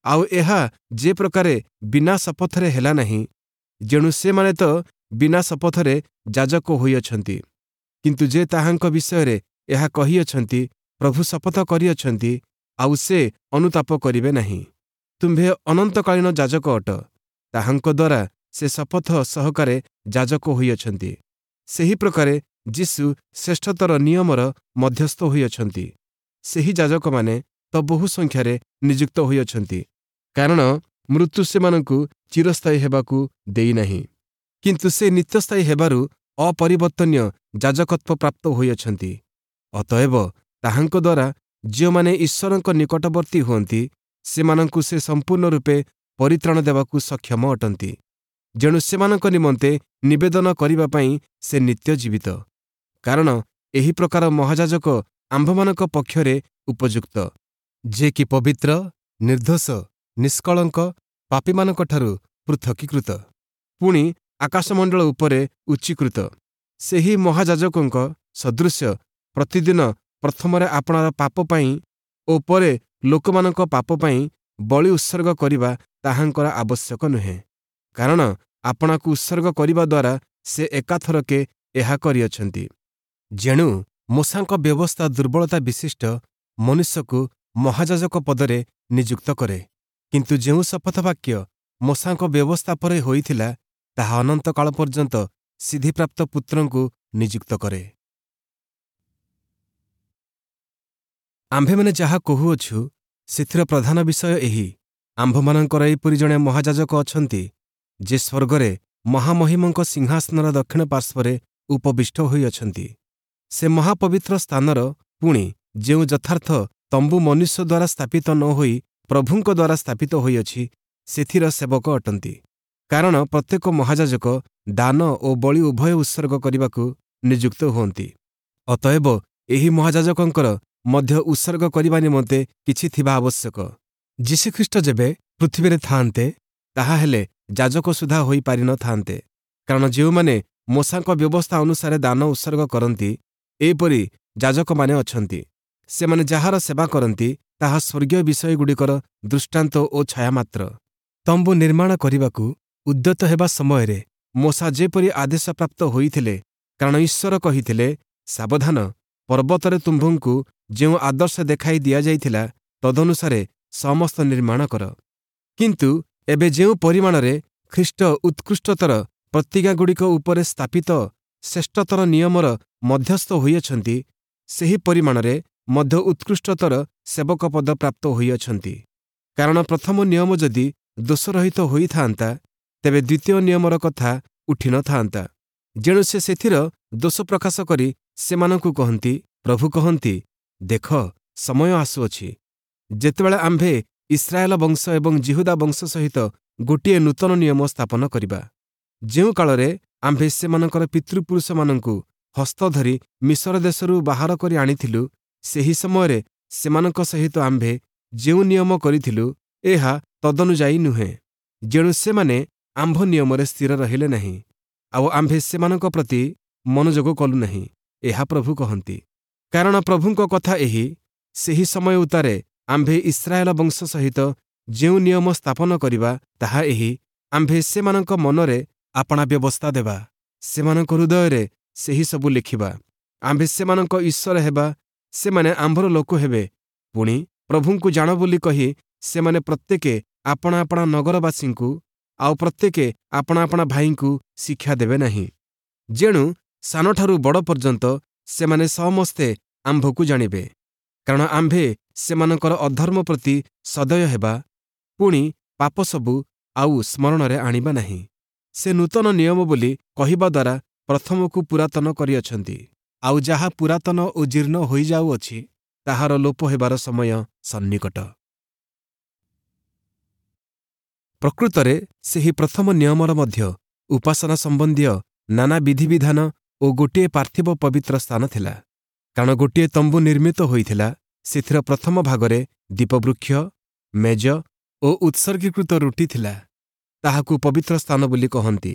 ଆଉ ଏହା ଯେ ପ୍ରକାରେ ବିନା ଶପଥରେ ହେଲା ନାହିଁ, ଯେଣୁ ସେମାନେ ତ ବିନା ଶପଥରେ ଯାଜକ ହୋଇଅଛନ୍ତି। କିନ୍ତୁ ଯେ ତାହାଙ୍କ ବିଷୟରେ ଏହା କହିଅଛନ୍ତି, ପ୍ରଭୁ ଶପଥ କରିଅଛନ୍ତି, ଆଉ ସେ ଅନୁତାପ କରିବେ ନାହିଁ, ତୁମ୍ଭେ ଅନନ୍ତକାଳୀନ ଯାଜକ ଅଟ। ତାହାଙ୍କ ଦ୍ୱାରା ସେ ଶପଥ ସହକାରେ ଯାଜକ ହୋଇଅଛନ୍ତି। ସେହି ପ୍ରକାରେ ଯୀଶୁ ଶ୍ରେଷ୍ଠତର ନିୟମର ମଧ୍ୟସ୍ଥ ହୋଇଅଛନ୍ତି। ସେହି ଯାଜକମାନେ ତ ବହୁ ସଂଖ୍ୟାରେ ନିଯୁକ୍ତ ହୋଇଅଛନ୍ତି, କାରଣ ମୃତ୍ୟୁ ସେମାନଙ୍କୁ ଚିରସ୍ଥାୟୀ ହେବାକୁ ଦେଇନାହିଁ। କିନ୍ତୁ ସେ ନିତ୍ୟସ୍ଥାୟୀ ହେବାରୁ ଅପରିବର୍ତ୍ତନୀୟ ଯାଜକତ୍ୱ ପ୍ରାପ୍ତ ହୋଇଅଛନ୍ତି। ଅତଏବ ତାହାଙ୍କ ଦ୍ୱାରା ଯେଉଁମାନେ ଈଶ୍ୱରଙ୍କ ନିକଟବର୍ତ୍ତୀ ହୁଅନ୍ତି, ସେମାନଙ୍କୁ ସେ ସମ୍ପୂର୍ଣ୍ଣ ରୂପେ ପରିତ୍ରାଣ ଦେବାକୁ ସକ୍ଷମ ଅଟନ୍ତି। ଯେଣୁ ସେମାନଙ୍କ ନିମନ୍ତେ ନିବେଦନ କରିବା ପାଇଁ ସେ ନିତ୍ୟ ଜୀବିତ। କାରଣ ଏହି ପ୍ରକାର ମହାଯାଜକ ଆମ୍ଭମାନଙ୍କ ପକ୍ଷରେ ଉପଯୁକ୍ତ, ଯେ କି ପବିତ୍ର, ନିର୍ଦ୍ଦୋଷ, ନିଷ୍କଳଙ୍କ, ପାପୀମାନଙ୍କଠାରୁ ପୃଥକୀକୃତ, ପୁଣି ଆକାଶମଣ୍ଡଳ ଉପରେ ଉଚ୍ଚୀକୃତ। ସେହି ମହାଯାଜକଙ୍କ ସଦୃଶ୍ୟ ପ୍ରତିଦିନ ପ୍ରଥମରେ ଆପଣାର ପାପ ପାଇଁ ଓ ପରେ ଲୋକମାନଙ୍କ ପାପ ପାଇଁ ବଳି ଉତ୍ସର୍ଗ କରିବା ତାହାଙ୍କର ଆବଶ୍ୟକ ନୁହେଁ, କାରଣ ଆପଣାକୁ ଉତ୍ସର୍ଗ କରିବା ଦ୍ୱାରା ସେ ଏକାଥରକେ ଏହା କରିଅଛନ୍ତି। ଯେଣୁ ମୋଶାଙ୍କ ବ୍ୟବସ୍ଥା ଦୁର୍ବଳତା ବିଶିଷ୍ଟ ମନୁଷ୍ୟକୁ ମହାଯାଜକ ପଦରେ ନିଯୁକ୍ତ କରେ, କିନ୍ତୁ ଯେଉଁ ଶପଥ ବାକ୍ୟ ମୋଶାଙ୍କ ବ୍ୟବସ୍ଥା ପରେ ହୋଇଥିଲା, ତାହା ଅନନ୍ତକାଳ ପର୍ଯ୍ୟନ୍ତ ସିଦ୍ଧିପ୍ରାପ୍ତ ପୁତ୍ରଙ୍କୁ ନିଯୁକ୍ତ କରେ। ଆମ୍ଭେମାନେ ଯାହା କହୁଅଛୁ, ସେଥିର ପ୍ରଧାନ ବିଷୟ ଏହି, ଆମ୍ଭମାନଙ୍କର ଏହିପରି ଜଣେ ମହାଯାଜକ ଅଛନ୍ତି, ଯେ ସ୍ୱର୍ଗରେ ମହାମହିମଙ୍କ ସିଂହାସନର ଦକ୍ଷିଣ ପାର୍ଶ୍ୱରେ ଉପବିଷ୍ଟ ହୋଇଅଛନ୍ତି। ସେ ମହାପବିତ୍ର ସ୍ଥାନର, ପୁଣି ଯେଉଁ ଯଥାର୍ଥ ତମ୍ବୁ ମନୁଷ୍ୟ ଦ୍ୱାରା ସ୍ଥାପିତ ନ ହୋଇ ପ୍ରଭୁଙ୍କ ଦ୍ୱାରା ସ୍ଥାପିତ ହୋଇଅଛି, ସେଥିର ସେବକ ଅଟନ୍ତି। କାରଣ ପ୍ରତ୍ୟେକ ମହାଯାଜକ ଦାନ ଓ ବଳି ଉଭୟ ଉତ୍ସର୍ଗ କରିବାକୁ ନିଯୁକ୍ତ ହୁଅନ୍ତି। ଅତଏବ ଏହି ମହାଯାଜକଙ୍କର ମଧ୍ୟ ଉତ୍ସର୍ଗ କରିବା ନିମନ୍ତେ କିଛି ଥିବା ଆବଶ୍ୟକ। ଯୀଶୁଖ୍ରୀଷ୍ଟ ଯେବେ ପୃଥିବୀରେ ଥାଆନ୍ତେ, ତାହାହେଲେ ଯାଜକ ସୁଦ୍ଧା ହୋଇପାରିନଥାନ୍ତେ, କାରଣ ଯେଉଁମାନେ ମୋଶାଙ୍କ ବ୍ୟବସ୍ଥା ଅନୁସାରେ ଦାନ ଉତ୍ସର୍ଗ କରନ୍ତି, ଏପରି ଯାଜକମାନେ ଅଛନ୍ତି। ସେମାନେ ଯାହାର ସେବା କରନ୍ତି, ତାହା ସ୍ୱର୍ଗୀୟ ବିଷୟଗୁଡ଼ିକର ଦୃଷ୍ଟାନ୍ତ ଓ ଛାୟା ମାତ୍ର। ତମ୍ବୁ ନିର୍ମାଣ କରିବାକୁ ଉଦ୍ୟତ ହେବା ସମୟରେ ମୋଶା ଯେପରି ଆଦେଶପ୍ରାପ୍ତ ହୋଇଥିଲେ, କାରଣ ଈଶ୍ୱର କହିଥିଲେ, ସାବଧାନ, ପର୍ବତରେ ତୁମ୍ଭଙ୍କୁ ଯେଉଁ ଆଦର୍ଶ ଦେଖାଇ ଦିଆଯାଇଥିଲା, ତଦନୁସାରେ ସମସ୍ତ ନିର୍ମାଣ କର। କିନ୍ତୁ ଏବେ ଯେଉଁ ପରିମାଣରେ ଖ୍ରୀଷ୍ଟ ଉତ୍କୃଷ୍ଟତର ପ୍ରତିଜ୍ଞାଗୁଡ଼ିକ ଉପରେ ସ୍ଥାପିତ ଶ୍ରେଷ୍ଠତର ନିୟମର ମଧ୍ୟସ୍ଥ ହୋଇଅଛନ୍ତି, ସେହି ପରିମାଣରେ ମଧ୍ୟ ଉତ୍କୃଷ୍ଟତର ସେବକ ପଦ ପ୍ରାପ୍ତ ହୋଇଅଛନ୍ତି। କାରଣ ପ୍ରଥମ ନିୟମ ଯଦି ଦୋଷରହିତ ହୋଇଥାନ୍ତା, ତେବେ ଦ୍ୱିତୀୟ ନିୟମର କଥା ଉଠିନଥାନ୍ତା। ଯେଣୁ ସେ ସେଥିର ଦୋଷ ପ୍ରକାଶ କରି ସେମାନଙ୍କୁ କହନ୍ତି, ପ୍ରଭୁ କହନ୍ତି, ଦେଖ, ସମୟ ଆସୁଅଛି, ଯେତେବେଳେ ଆମ୍ଭେ ଇସ୍ରାଏଲ ବଂଶ ଏବଂ ଜିହୁଦା ବଂଶ ସହିତ ଗୋଟିଏ ନୂତନ ନିୟମ ସ୍ଥାପନ କରିବା। ଯେଉଁ କାଳରେ ଆମ୍ଭେ ସେମାନଙ୍କର ପିତୃପୁରୁଷମାନଙ୍କୁ ହସ୍ତ ଧରି ମିଶର ଦେଶରୁ ବାହାର କରି ଆଣିଥିଲୁ, ସେହି ସମୟରେ ସେମାନଙ୍କ ସହିତ ଆମ୍ଭେ ଯେଉଁ ନିୟମ କରିଥିଲୁ, ଏହା ତଦନୁଯାୟୀ ନୁହେଁ। ଯେଣୁ ସେମାନେ ଆମ୍ଭ ନିୟମରେ ସ୍ଥିର ରହିଲେ ନାହିଁ, ଆଉ ଆମ୍ଭେ ସେମାନଙ୍କ ପ୍ରତି ମନୋଯୋଗ କଲୁ ନାହିଁ, ଏହା ପ୍ରଭୁ କହନ୍ତି। କାରଣ ପ୍ରଭୁଙ୍କ କଥା ଏହି, ସେହି ସମୟ ଉତ୍ତାରେ ଆମ୍ଭେ ଇସ୍ରାଏଲ ବଂଶ ସହିତ ଯେଉଁ ନିୟମ ସ୍ଥାପନ କରିବା, ତାହା ଏହି, ଆମ୍ଭେ ସେମାନଙ୍କ ମନରେ ଆପଣା ବ୍ୟବସ୍ଥା ଦେବା, ସେମାନଙ୍କ ହୃଦୟରେ ସେହି ସବୁ ଲେଖିବା। ଆମ୍ଭେ ସେମାନଙ୍କ ଈଶ୍ୱର ହେବା, ସେମାନେ ଆମ୍ଭର ଲୋକ ହେବେ। ପୁଣି ପ୍ରଭୁଙ୍କୁ ଜାଣ ବୋଲି କହି ସେମାନେ ପ୍ରତ୍ୟେକେ ଆପଣା ଆପଣା ନଗରବାସୀଙ୍କୁ ଆଉ ପ୍ରତ୍ୟେକେ ଆପଣା ଆପଣା ଭାଇଙ୍କୁ ଶିକ୍ଷା ଦେବେ ନାହିଁ। ଯେଣୁ ସାନଠାରୁ ବଡ଼ ପର୍ଯ୍ୟନ୍ତ ସେମାନେ ସମସ୍ତେ ଆମ୍ଭକୁ ଜାଣିବେ, କାରଣ ଆମ୍ଭେ ସେମାନଙ୍କର ଅଧର୍ମ ପ୍ରତି ସଦୟ ହେବା, ପୁଣି ପାପ ସବୁ ଆଉ ସ୍ମରଣରେ ଆଣିବା ନାହିଁ। ସେ ନୂତନ ନିୟମ ବୋଲି କହିବା ଦ୍ୱାରା ପ୍ରଥମକୁ ପୁରାତନ କରିଅଛନ୍ତି, ଆଉ ଯାହା ପୁରାତନ ଓ ଜୀର୍ଣ୍ଣ ହୋଇଯାଉଅଛି, ତାହାର ଲୋପ ହେବାର ସମୟ ସନ୍ନିକଟ। ପ୍ରକୃତରେ ସେହି ପ୍ରଥମ ନିୟମର ମଧ୍ୟ ଉପାସନା ସମ୍ବନ୍ଧୀୟ ନାନା ବିଧିବିଧାନ ଓ ଗୋଟିଏ ପାର୍ଥିବ ପବିତ୍ର ସ୍ଥାନ ଥିଲା। କାରଣ ଗୋଟିଏ ତମ୍ବୁ ନିର୍ମିତ ହୋଇଥିଲା, ସେଥିର ପ୍ରଥମ ଭାଗରେ ଦୀପବୃକ୍ଷ, ମେଜ ଓ ଉତ୍ସର୍ଗୀକୃତ ରୁଟି ଥିଲା, ତାହାକୁ ପବିତ୍ର ସ୍ଥାନ ବୋଲି କହନ୍ତି।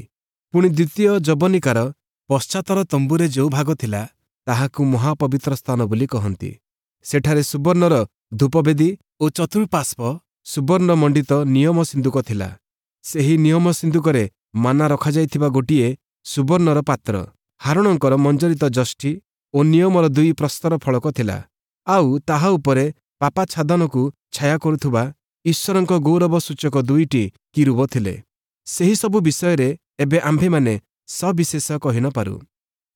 ପୁଣି ଦ୍ୱିତୀୟ ଯବନିକାର ପଶ୍ଚାତର ତମ୍ବୁରେ ଯେଉଁ ଭାଗ ଥିଲା, ତାହାକୁ ମହାପବିତ୍ର ସ୍ଥାନ ବୋଲି କହନ୍ତି। ସେଠାରେ ସୁବର୍ଣ୍ଣର ଧୂପବେଦୀ ଓ ଚତୁଃପାର୍ଶ୍ୱ ସୁବର୍ଣ୍ଣ ମଣ୍ଡିତ ନିୟମ ସିନ୍ଦୁକ ଥିଲା। ସେହି ନିୟମ ସିନ୍ଦୁକରେ ମାନା ରଖାଯାଇଥିବା ଗୋଟିଏ ସୁବର୍ଣ୍ଣର ପାତ୍ର, ହାରୋଣଙ୍କର ମଞ୍ଜରିତ ଯଷ୍ଟି ଓ ନିୟମର ଦୁଇ ପ୍ରସ୍ତର ଫଳକ ଥିଲା। ଆଉ ତାହା ଉପରେ ପାପାଚ୍ଛାଦନକୁ ଛାୟା କରୁଥିବା ଈଶ୍ୱରଙ୍କ ଗୌରବ ସୂଚକ ଦୁଇଟି କିରୂବ ଥିଲେ। ସେହିସବୁ ବିଷୟରେ ଏବେ ଆମ୍ଭେମାନେ ସବିଶେଷ କହି ନ ପାରୁ।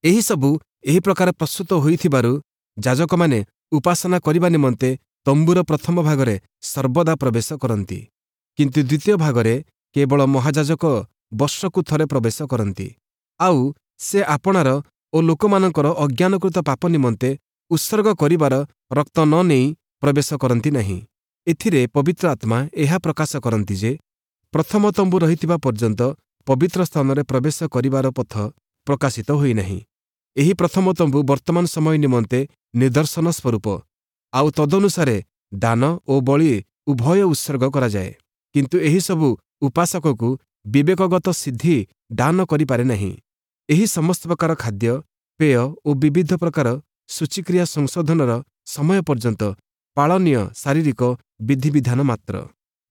ଏହିସବୁ ଏହି ପ୍ରକାର ପ୍ରସ୍ତୁତ ହୋଇଥିବାରୁ ଯାଜକମାନେ ଉପାସନା କରିବା ନିମନ୍ତେ ତମ୍ବୁର ପ୍ରଥମ ଭାଗରେ ସର୍ବଦା ପ୍ରବେଶ କରନ୍ତି। କିନ୍ତୁ ଦ୍ୱିତୀୟ ଭାଗରେ କେବଳ ମହାଯାଜକ ବର୍ଷକୁ ଥରେ ପ୍ରବେଶ କରନ୍ତି। ଆଉ ସେ ଆପଣାର ଓ ଲୋକମାନଙ୍କର ଅଜ୍ଞାନକୃତ ପାପ ନିମନ୍ତେ ଉତ୍ସର୍ଗ କରିବାର ରକ୍ତ ନ ନେଇ ପ୍ରବେଶ କରନ୍ତି ନାହିଁ। ଏଥିରେ ପବିତ୍ର ଆତ୍ମା ଏହା ପ୍ରକାଶ କରନ୍ତି ଯେ, ପ୍ରଥମ ତମ୍ବୁ ରହିଥିବା ପର୍ଯ୍ୟନ୍ତ ପବିତ୍ର ସ୍ଥାନରେ ପ୍ରବେଶ କରିବାର ପଥ ପ୍ରକାଶିତ ହୋଇନାହିଁ। ଏହି ପ୍ରଥମ ତମ୍ବୁ ବର୍ତ୍ତମାନ ସମୟ ନିମନ୍ତେ ନିଦର୍ଶନ ସ୍ୱରୂପ, ଆଉ ତଦନୁସାରେ ଦାନ ଓ ବଳି ଉଭୟ ଉତ୍ସର୍ଗ କରାଯାଏ। କିନ୍ତୁ ଏହିସବୁ ଉପାସକକୁ ବିବେକଗତ ସିଦ୍ଧି ଦାନ କରିପାରେ ନାହିଁ। ଏହି ସମସ୍ତ ପ୍ରକାର ଖାଦ୍ୟ, ପେୟ ଓ ବିବିଧ ପ୍ରକାର ଶୁଚିକ୍ରିୟା ସଂଶୋଧନର ସମୟ ପର୍ଯ୍ୟନ୍ତ ପାଳନୀୟ ଶାରୀରିକ ବିଧିବିଧାନ ମାତ୍ର।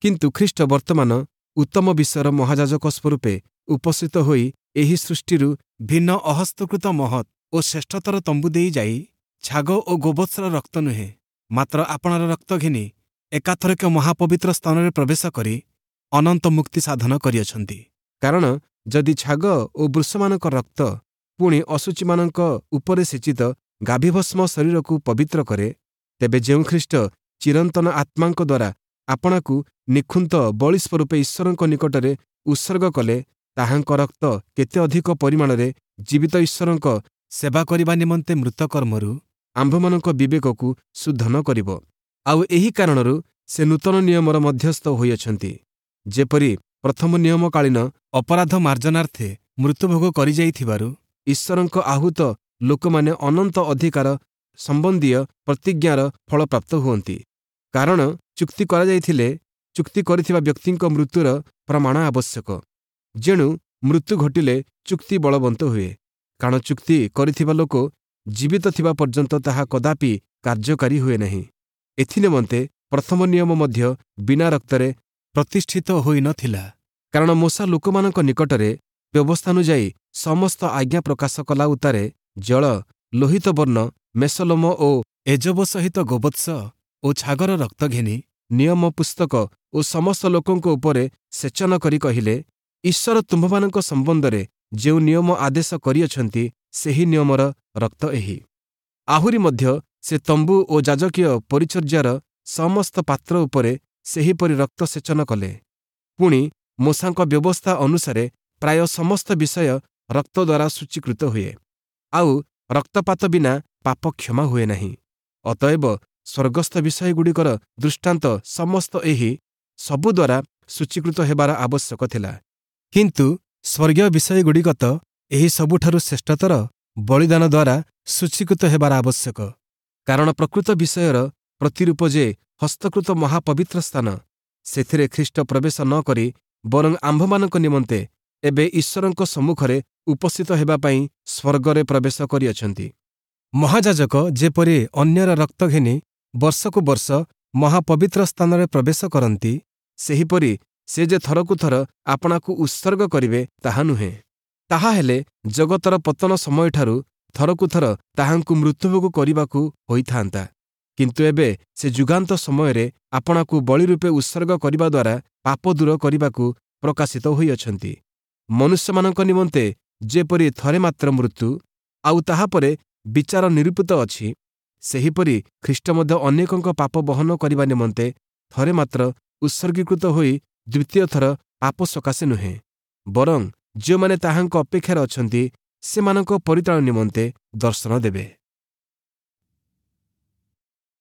କିନ୍ତୁ ଖ୍ରୀଷ୍ଟ ବର୍ତ୍ତମାନ ଉତ୍ତମ ବିଷୟର ମହାଯାଜକ ସ୍ୱରୂପେ ଉପସ୍ଥିତ ହୋଇ ଏହି ସୃଷ୍ଟିରୁ ଭିନ୍ନ ଅହସ୍ତକୃତ ମହତ୍ ଓ ଶ୍ରେଷ୍ଠତର ତମ୍ବୁ ଦେଇ ଯାଇ ଛାଗ ଓ ଗୋବତ୍ସର ରକ୍ତ ନୁହେଁ, ମାତ୍ର ଆପଣାର ରକ୍ତ ଘେନି ଏକାଥରକେ ମହାପବିତ୍ର ସ୍ଥାନରେ ପ୍ରବେଶ କରି ଅନନ୍ତ ମୁକ୍ତି ସାଧନ କରିଅଛନ୍ତି। କାରଣ ଯଦି ଛାଗ ଓ ବୃଷମାନଙ୍କ ରକ୍ତ, ପୁଣି ଅଶୁଚିମାନଙ୍କ ଉପରେ ସିଞ୍ଚିତ ଗାଭିଭସ୍ମ ଶରୀରକୁ ପବିତ୍ର କରେ, ତେବେ ଯେଉଁ ଖ୍ରୀଷ୍ଟ ଚିରନ୍ତନ ଆତ୍ମାଙ୍କ ଦ୍ୱାରା ଆପଣାକୁ ନିଖୁନ୍ତ ବଳି ସ୍ୱରୂପେ ଈଶ୍ୱରଙ୍କ ନିକଟରେ ଉତ୍ସର୍ଗ କଲେ, ତାହାଙ୍କ ରକ୍ତ କେତେ ଅଧିକ ପରିମାଣରେ ଜୀବିତ ଈଶ୍ୱରଙ୍କ ସେବା କରିବା ନିମନ୍ତେ ମୃତ କର୍ମରୁ ଆମ୍ଭମାନଙ୍କ ବିବେକକୁ ଶୁଦ୍ଧ ନ କରିବ? ଆଉ ଏହି କାରଣରୁ ସେ ନୂତନ ନିୟମର ମଧ୍ୟସ୍ଥ ହୋଇଅଛନ୍ତି, ଯେପରି ପ୍ରଥମ ନିୟମକାଳୀନ ଅପରାଧ ମାର୍ଜନାର୍ଥେ ମୃତ୍ୟୁଭୋଗ କରିଯାଇଥିବାରୁ ଈଶ୍ୱରଙ୍କ ଆହୁତ ଲୋକମାନେ ଅନନ୍ତ ଅଧିକାର ସମ୍ବନ୍ଧୀୟ ପ୍ରତିଜ୍ଞାର ଫଳପ୍ରାପ୍ତ ହୁଅନ୍ତି। କାରଣ ଚୁକ୍ତି କରାଯାଇଥିଲେ ଚୁକ୍ତି କରିଥିବା ବ୍ୟକ୍ତିଙ୍କ ମୃତ୍ୟୁର ପ୍ରମାଣ ଆବଶ୍ୟକ। ଯେଣୁ ମୃତ୍ୟୁ ଘଟିଲେ ଚୁକ୍ତି ବଳବନ୍ତ ହୁଏ। କାରଣ ଚୁକ୍ତି କରିଥିବା ଲୋକ ଜୀବିତ ଥିବା ପର୍ଯ୍ୟନ୍ତ ତାହା କଦାପି କାର୍ଯ୍ୟକାରୀ ହୁଏ ନାହିଁ। ଏଥିନିମନ୍ତେ ପ୍ରଥମ ନିୟମ ମଧ୍ୟ ବିନା ରକ୍ତରେ ପ୍ରତିଷ୍ଠିତ ହୋଇନଥିଲା। କାରଣ ମୋଶା ଲୋକମାନଙ୍କ ନିକଟରେ ବ୍ୟବସ୍ଥାନୁଯାୟୀ ସମସ୍ତ ଆଜ୍ଞା ପ୍ରକାଶ କଲା ଉତ୍ତାରେ ଜଳ, ଲୋହିତ ବର୍ଣ୍ଣ, ମେଷଲୋମ ଓ ଏଜବ ସହିତ ଗୋବତ୍ସ ଓ ଛାଗର ରକ୍ତ ଘେନି ନିୟମ ପୁସ୍ତକ ଓ ସମସ୍ତ ଲୋକଙ୍କ ଉପରେ ସେଚନ କରି କହିଲେ, ଈଶ୍ୱର ତୁମ୍ଭମାନଙ୍କ ସମ୍ବନ୍ଧରେ ଯେଉଁ ନିୟମ ଆଦେଶ କରିଅଛନ୍ତି, ସେହି ନିୟମର ରକ୍ତ ଏହି। ଆହୁରି ମଧ୍ୟ ସେ ତମ୍ବୁ ଓ ଯାଜକୀୟ ପରିଚର୍ଯ୍ୟାର ସମସ୍ତ ପାତ୍ର ଉପରେ ସେହିପରି ରକ୍ତ ସେଚନ କଲେ। ପୁଣି ମୋଶାଙ୍କ ବ୍ୟବସ୍ଥା ଅନୁସାରେ ପ୍ରାୟ ସମସ୍ତ ବିଷୟ ରକ୍ତ ଦ୍ୱାରା ସୂଚୀକୃତ ହୁଏ, ଆଉ ରକ୍ତପାତ ବିନା ପାପ କ୍ଷମା ହୁଏ ନାହିଁ। ଅତଏବ ସ୍ୱର୍ଗସ୍ଥ ବିଷୟଗୁଡ଼ିକର ଦୃଷ୍ଟାନ୍ତ ସମସ୍ତ ଏହି ସବୁ ଦ୍ୱାରା ସୂଚୀକୃତ ହେବାର ଆବଶ୍ୟକ ଥିଲା। କିନ୍ତୁ ସ୍ୱର୍ଗୀୟ ବିଷୟଗୁଡ଼ିକ ତ ଏହି ସବୁଠାରୁ ଶ୍ରେଷ୍ଠତର ବଳିଦାନ ଦ୍ୱାରା ସୂଚୀକୃତ ହେବାର ଆବଶ୍ୟକ। କାରଣ ପ୍ରକୃତ ବିଷୟର ପ୍ରତିରୂପ ଯେ ହସ୍ତକୃତ ମହାପବିତ୍ର ସ୍ଥାନ, ସେଥିରେ ଖ୍ରୀଷ୍ଟ ପ୍ରବେଶ ନ କରି ବରଂ ଆମ୍ଭମାନଙ୍କ ନିମନ୍ତେ ଏବେ ଈଶ୍ୱରଙ୍କ ସମ୍ମୁଖରେ ଉପସ୍ଥିତ ହେବା ପାଇଁ ସ୍ୱର୍ଗରେ ପ୍ରବେଶ କରିଅଛନ୍ତି। ମହାଯାଜକ ଯେପରି ଅନ୍ୟର ରକ୍ତ ଘେନି ବର୍ଷକୁ ବର୍ଷ ମହାପବିତ୍ର ସ୍ଥାନରେ ପ୍ରବେଶ କରନ୍ତି, ସେହିପରି ସେ ଯେ ଥରକୁ ଥର ଆପଣାକୁ ଉତ୍ସର୍ଗ କରିବେ ତାହା ନୁହେଁ। ତାହାହେଲେ ଜଗତର ପତନ ସମୟଠାରୁ ଥରକୁ ଥର ତାହାଙ୍କୁ ମୃତ୍ୟୁଭୋଗ କରିବାକୁ ହୋଇଥାନ୍ତା। କିନ୍ତୁ ଏବେ ସେ ଯୁଗାନ୍ତ ସମୟରେ ଆପଣାକୁ ବଳି ରୂପେ ଉତ୍ସର୍ଗ କରିବା ଦ୍ୱାରା ପାପ ଦୂର କରିବାକୁ ପ୍ରକାଶିତ ହୋଇଅଛନ୍ତି। ମନୁଷ୍ୟମାନଙ୍କ ନିମନ୍ତେ ଯେପରି ଥରେ ମାତ୍ର ମୃତ୍ୟୁ, ଆଉ ତାହାପରେ ବିଚାର ନିରୂପିତ ଅଛି, ସେହିପରି ଖ୍ରୀଷ୍ଟ ମଧ୍ୟ ଅନେକଙ୍କ ପାପ ବହନ କରିବା ନିମନ୍ତେ ଥରେ ମାତ୍ର ଉତ୍ସର୍ଗୀକୃତ ହୋଇ ଦ୍ୱିତୀୟ ଥର ପାପ ସକାଶେ ନୁହେଁ, ବରଂ ଯେଉଁମାନେ ତାହାଙ୍କ ଅପେକ୍ଷାରେ ଅଛନ୍ତି ସେମାନଙ୍କ ପରିତ୍ରାଣ ନିମନ୍ତେ ଦର୍ଶନ ଦେବେ।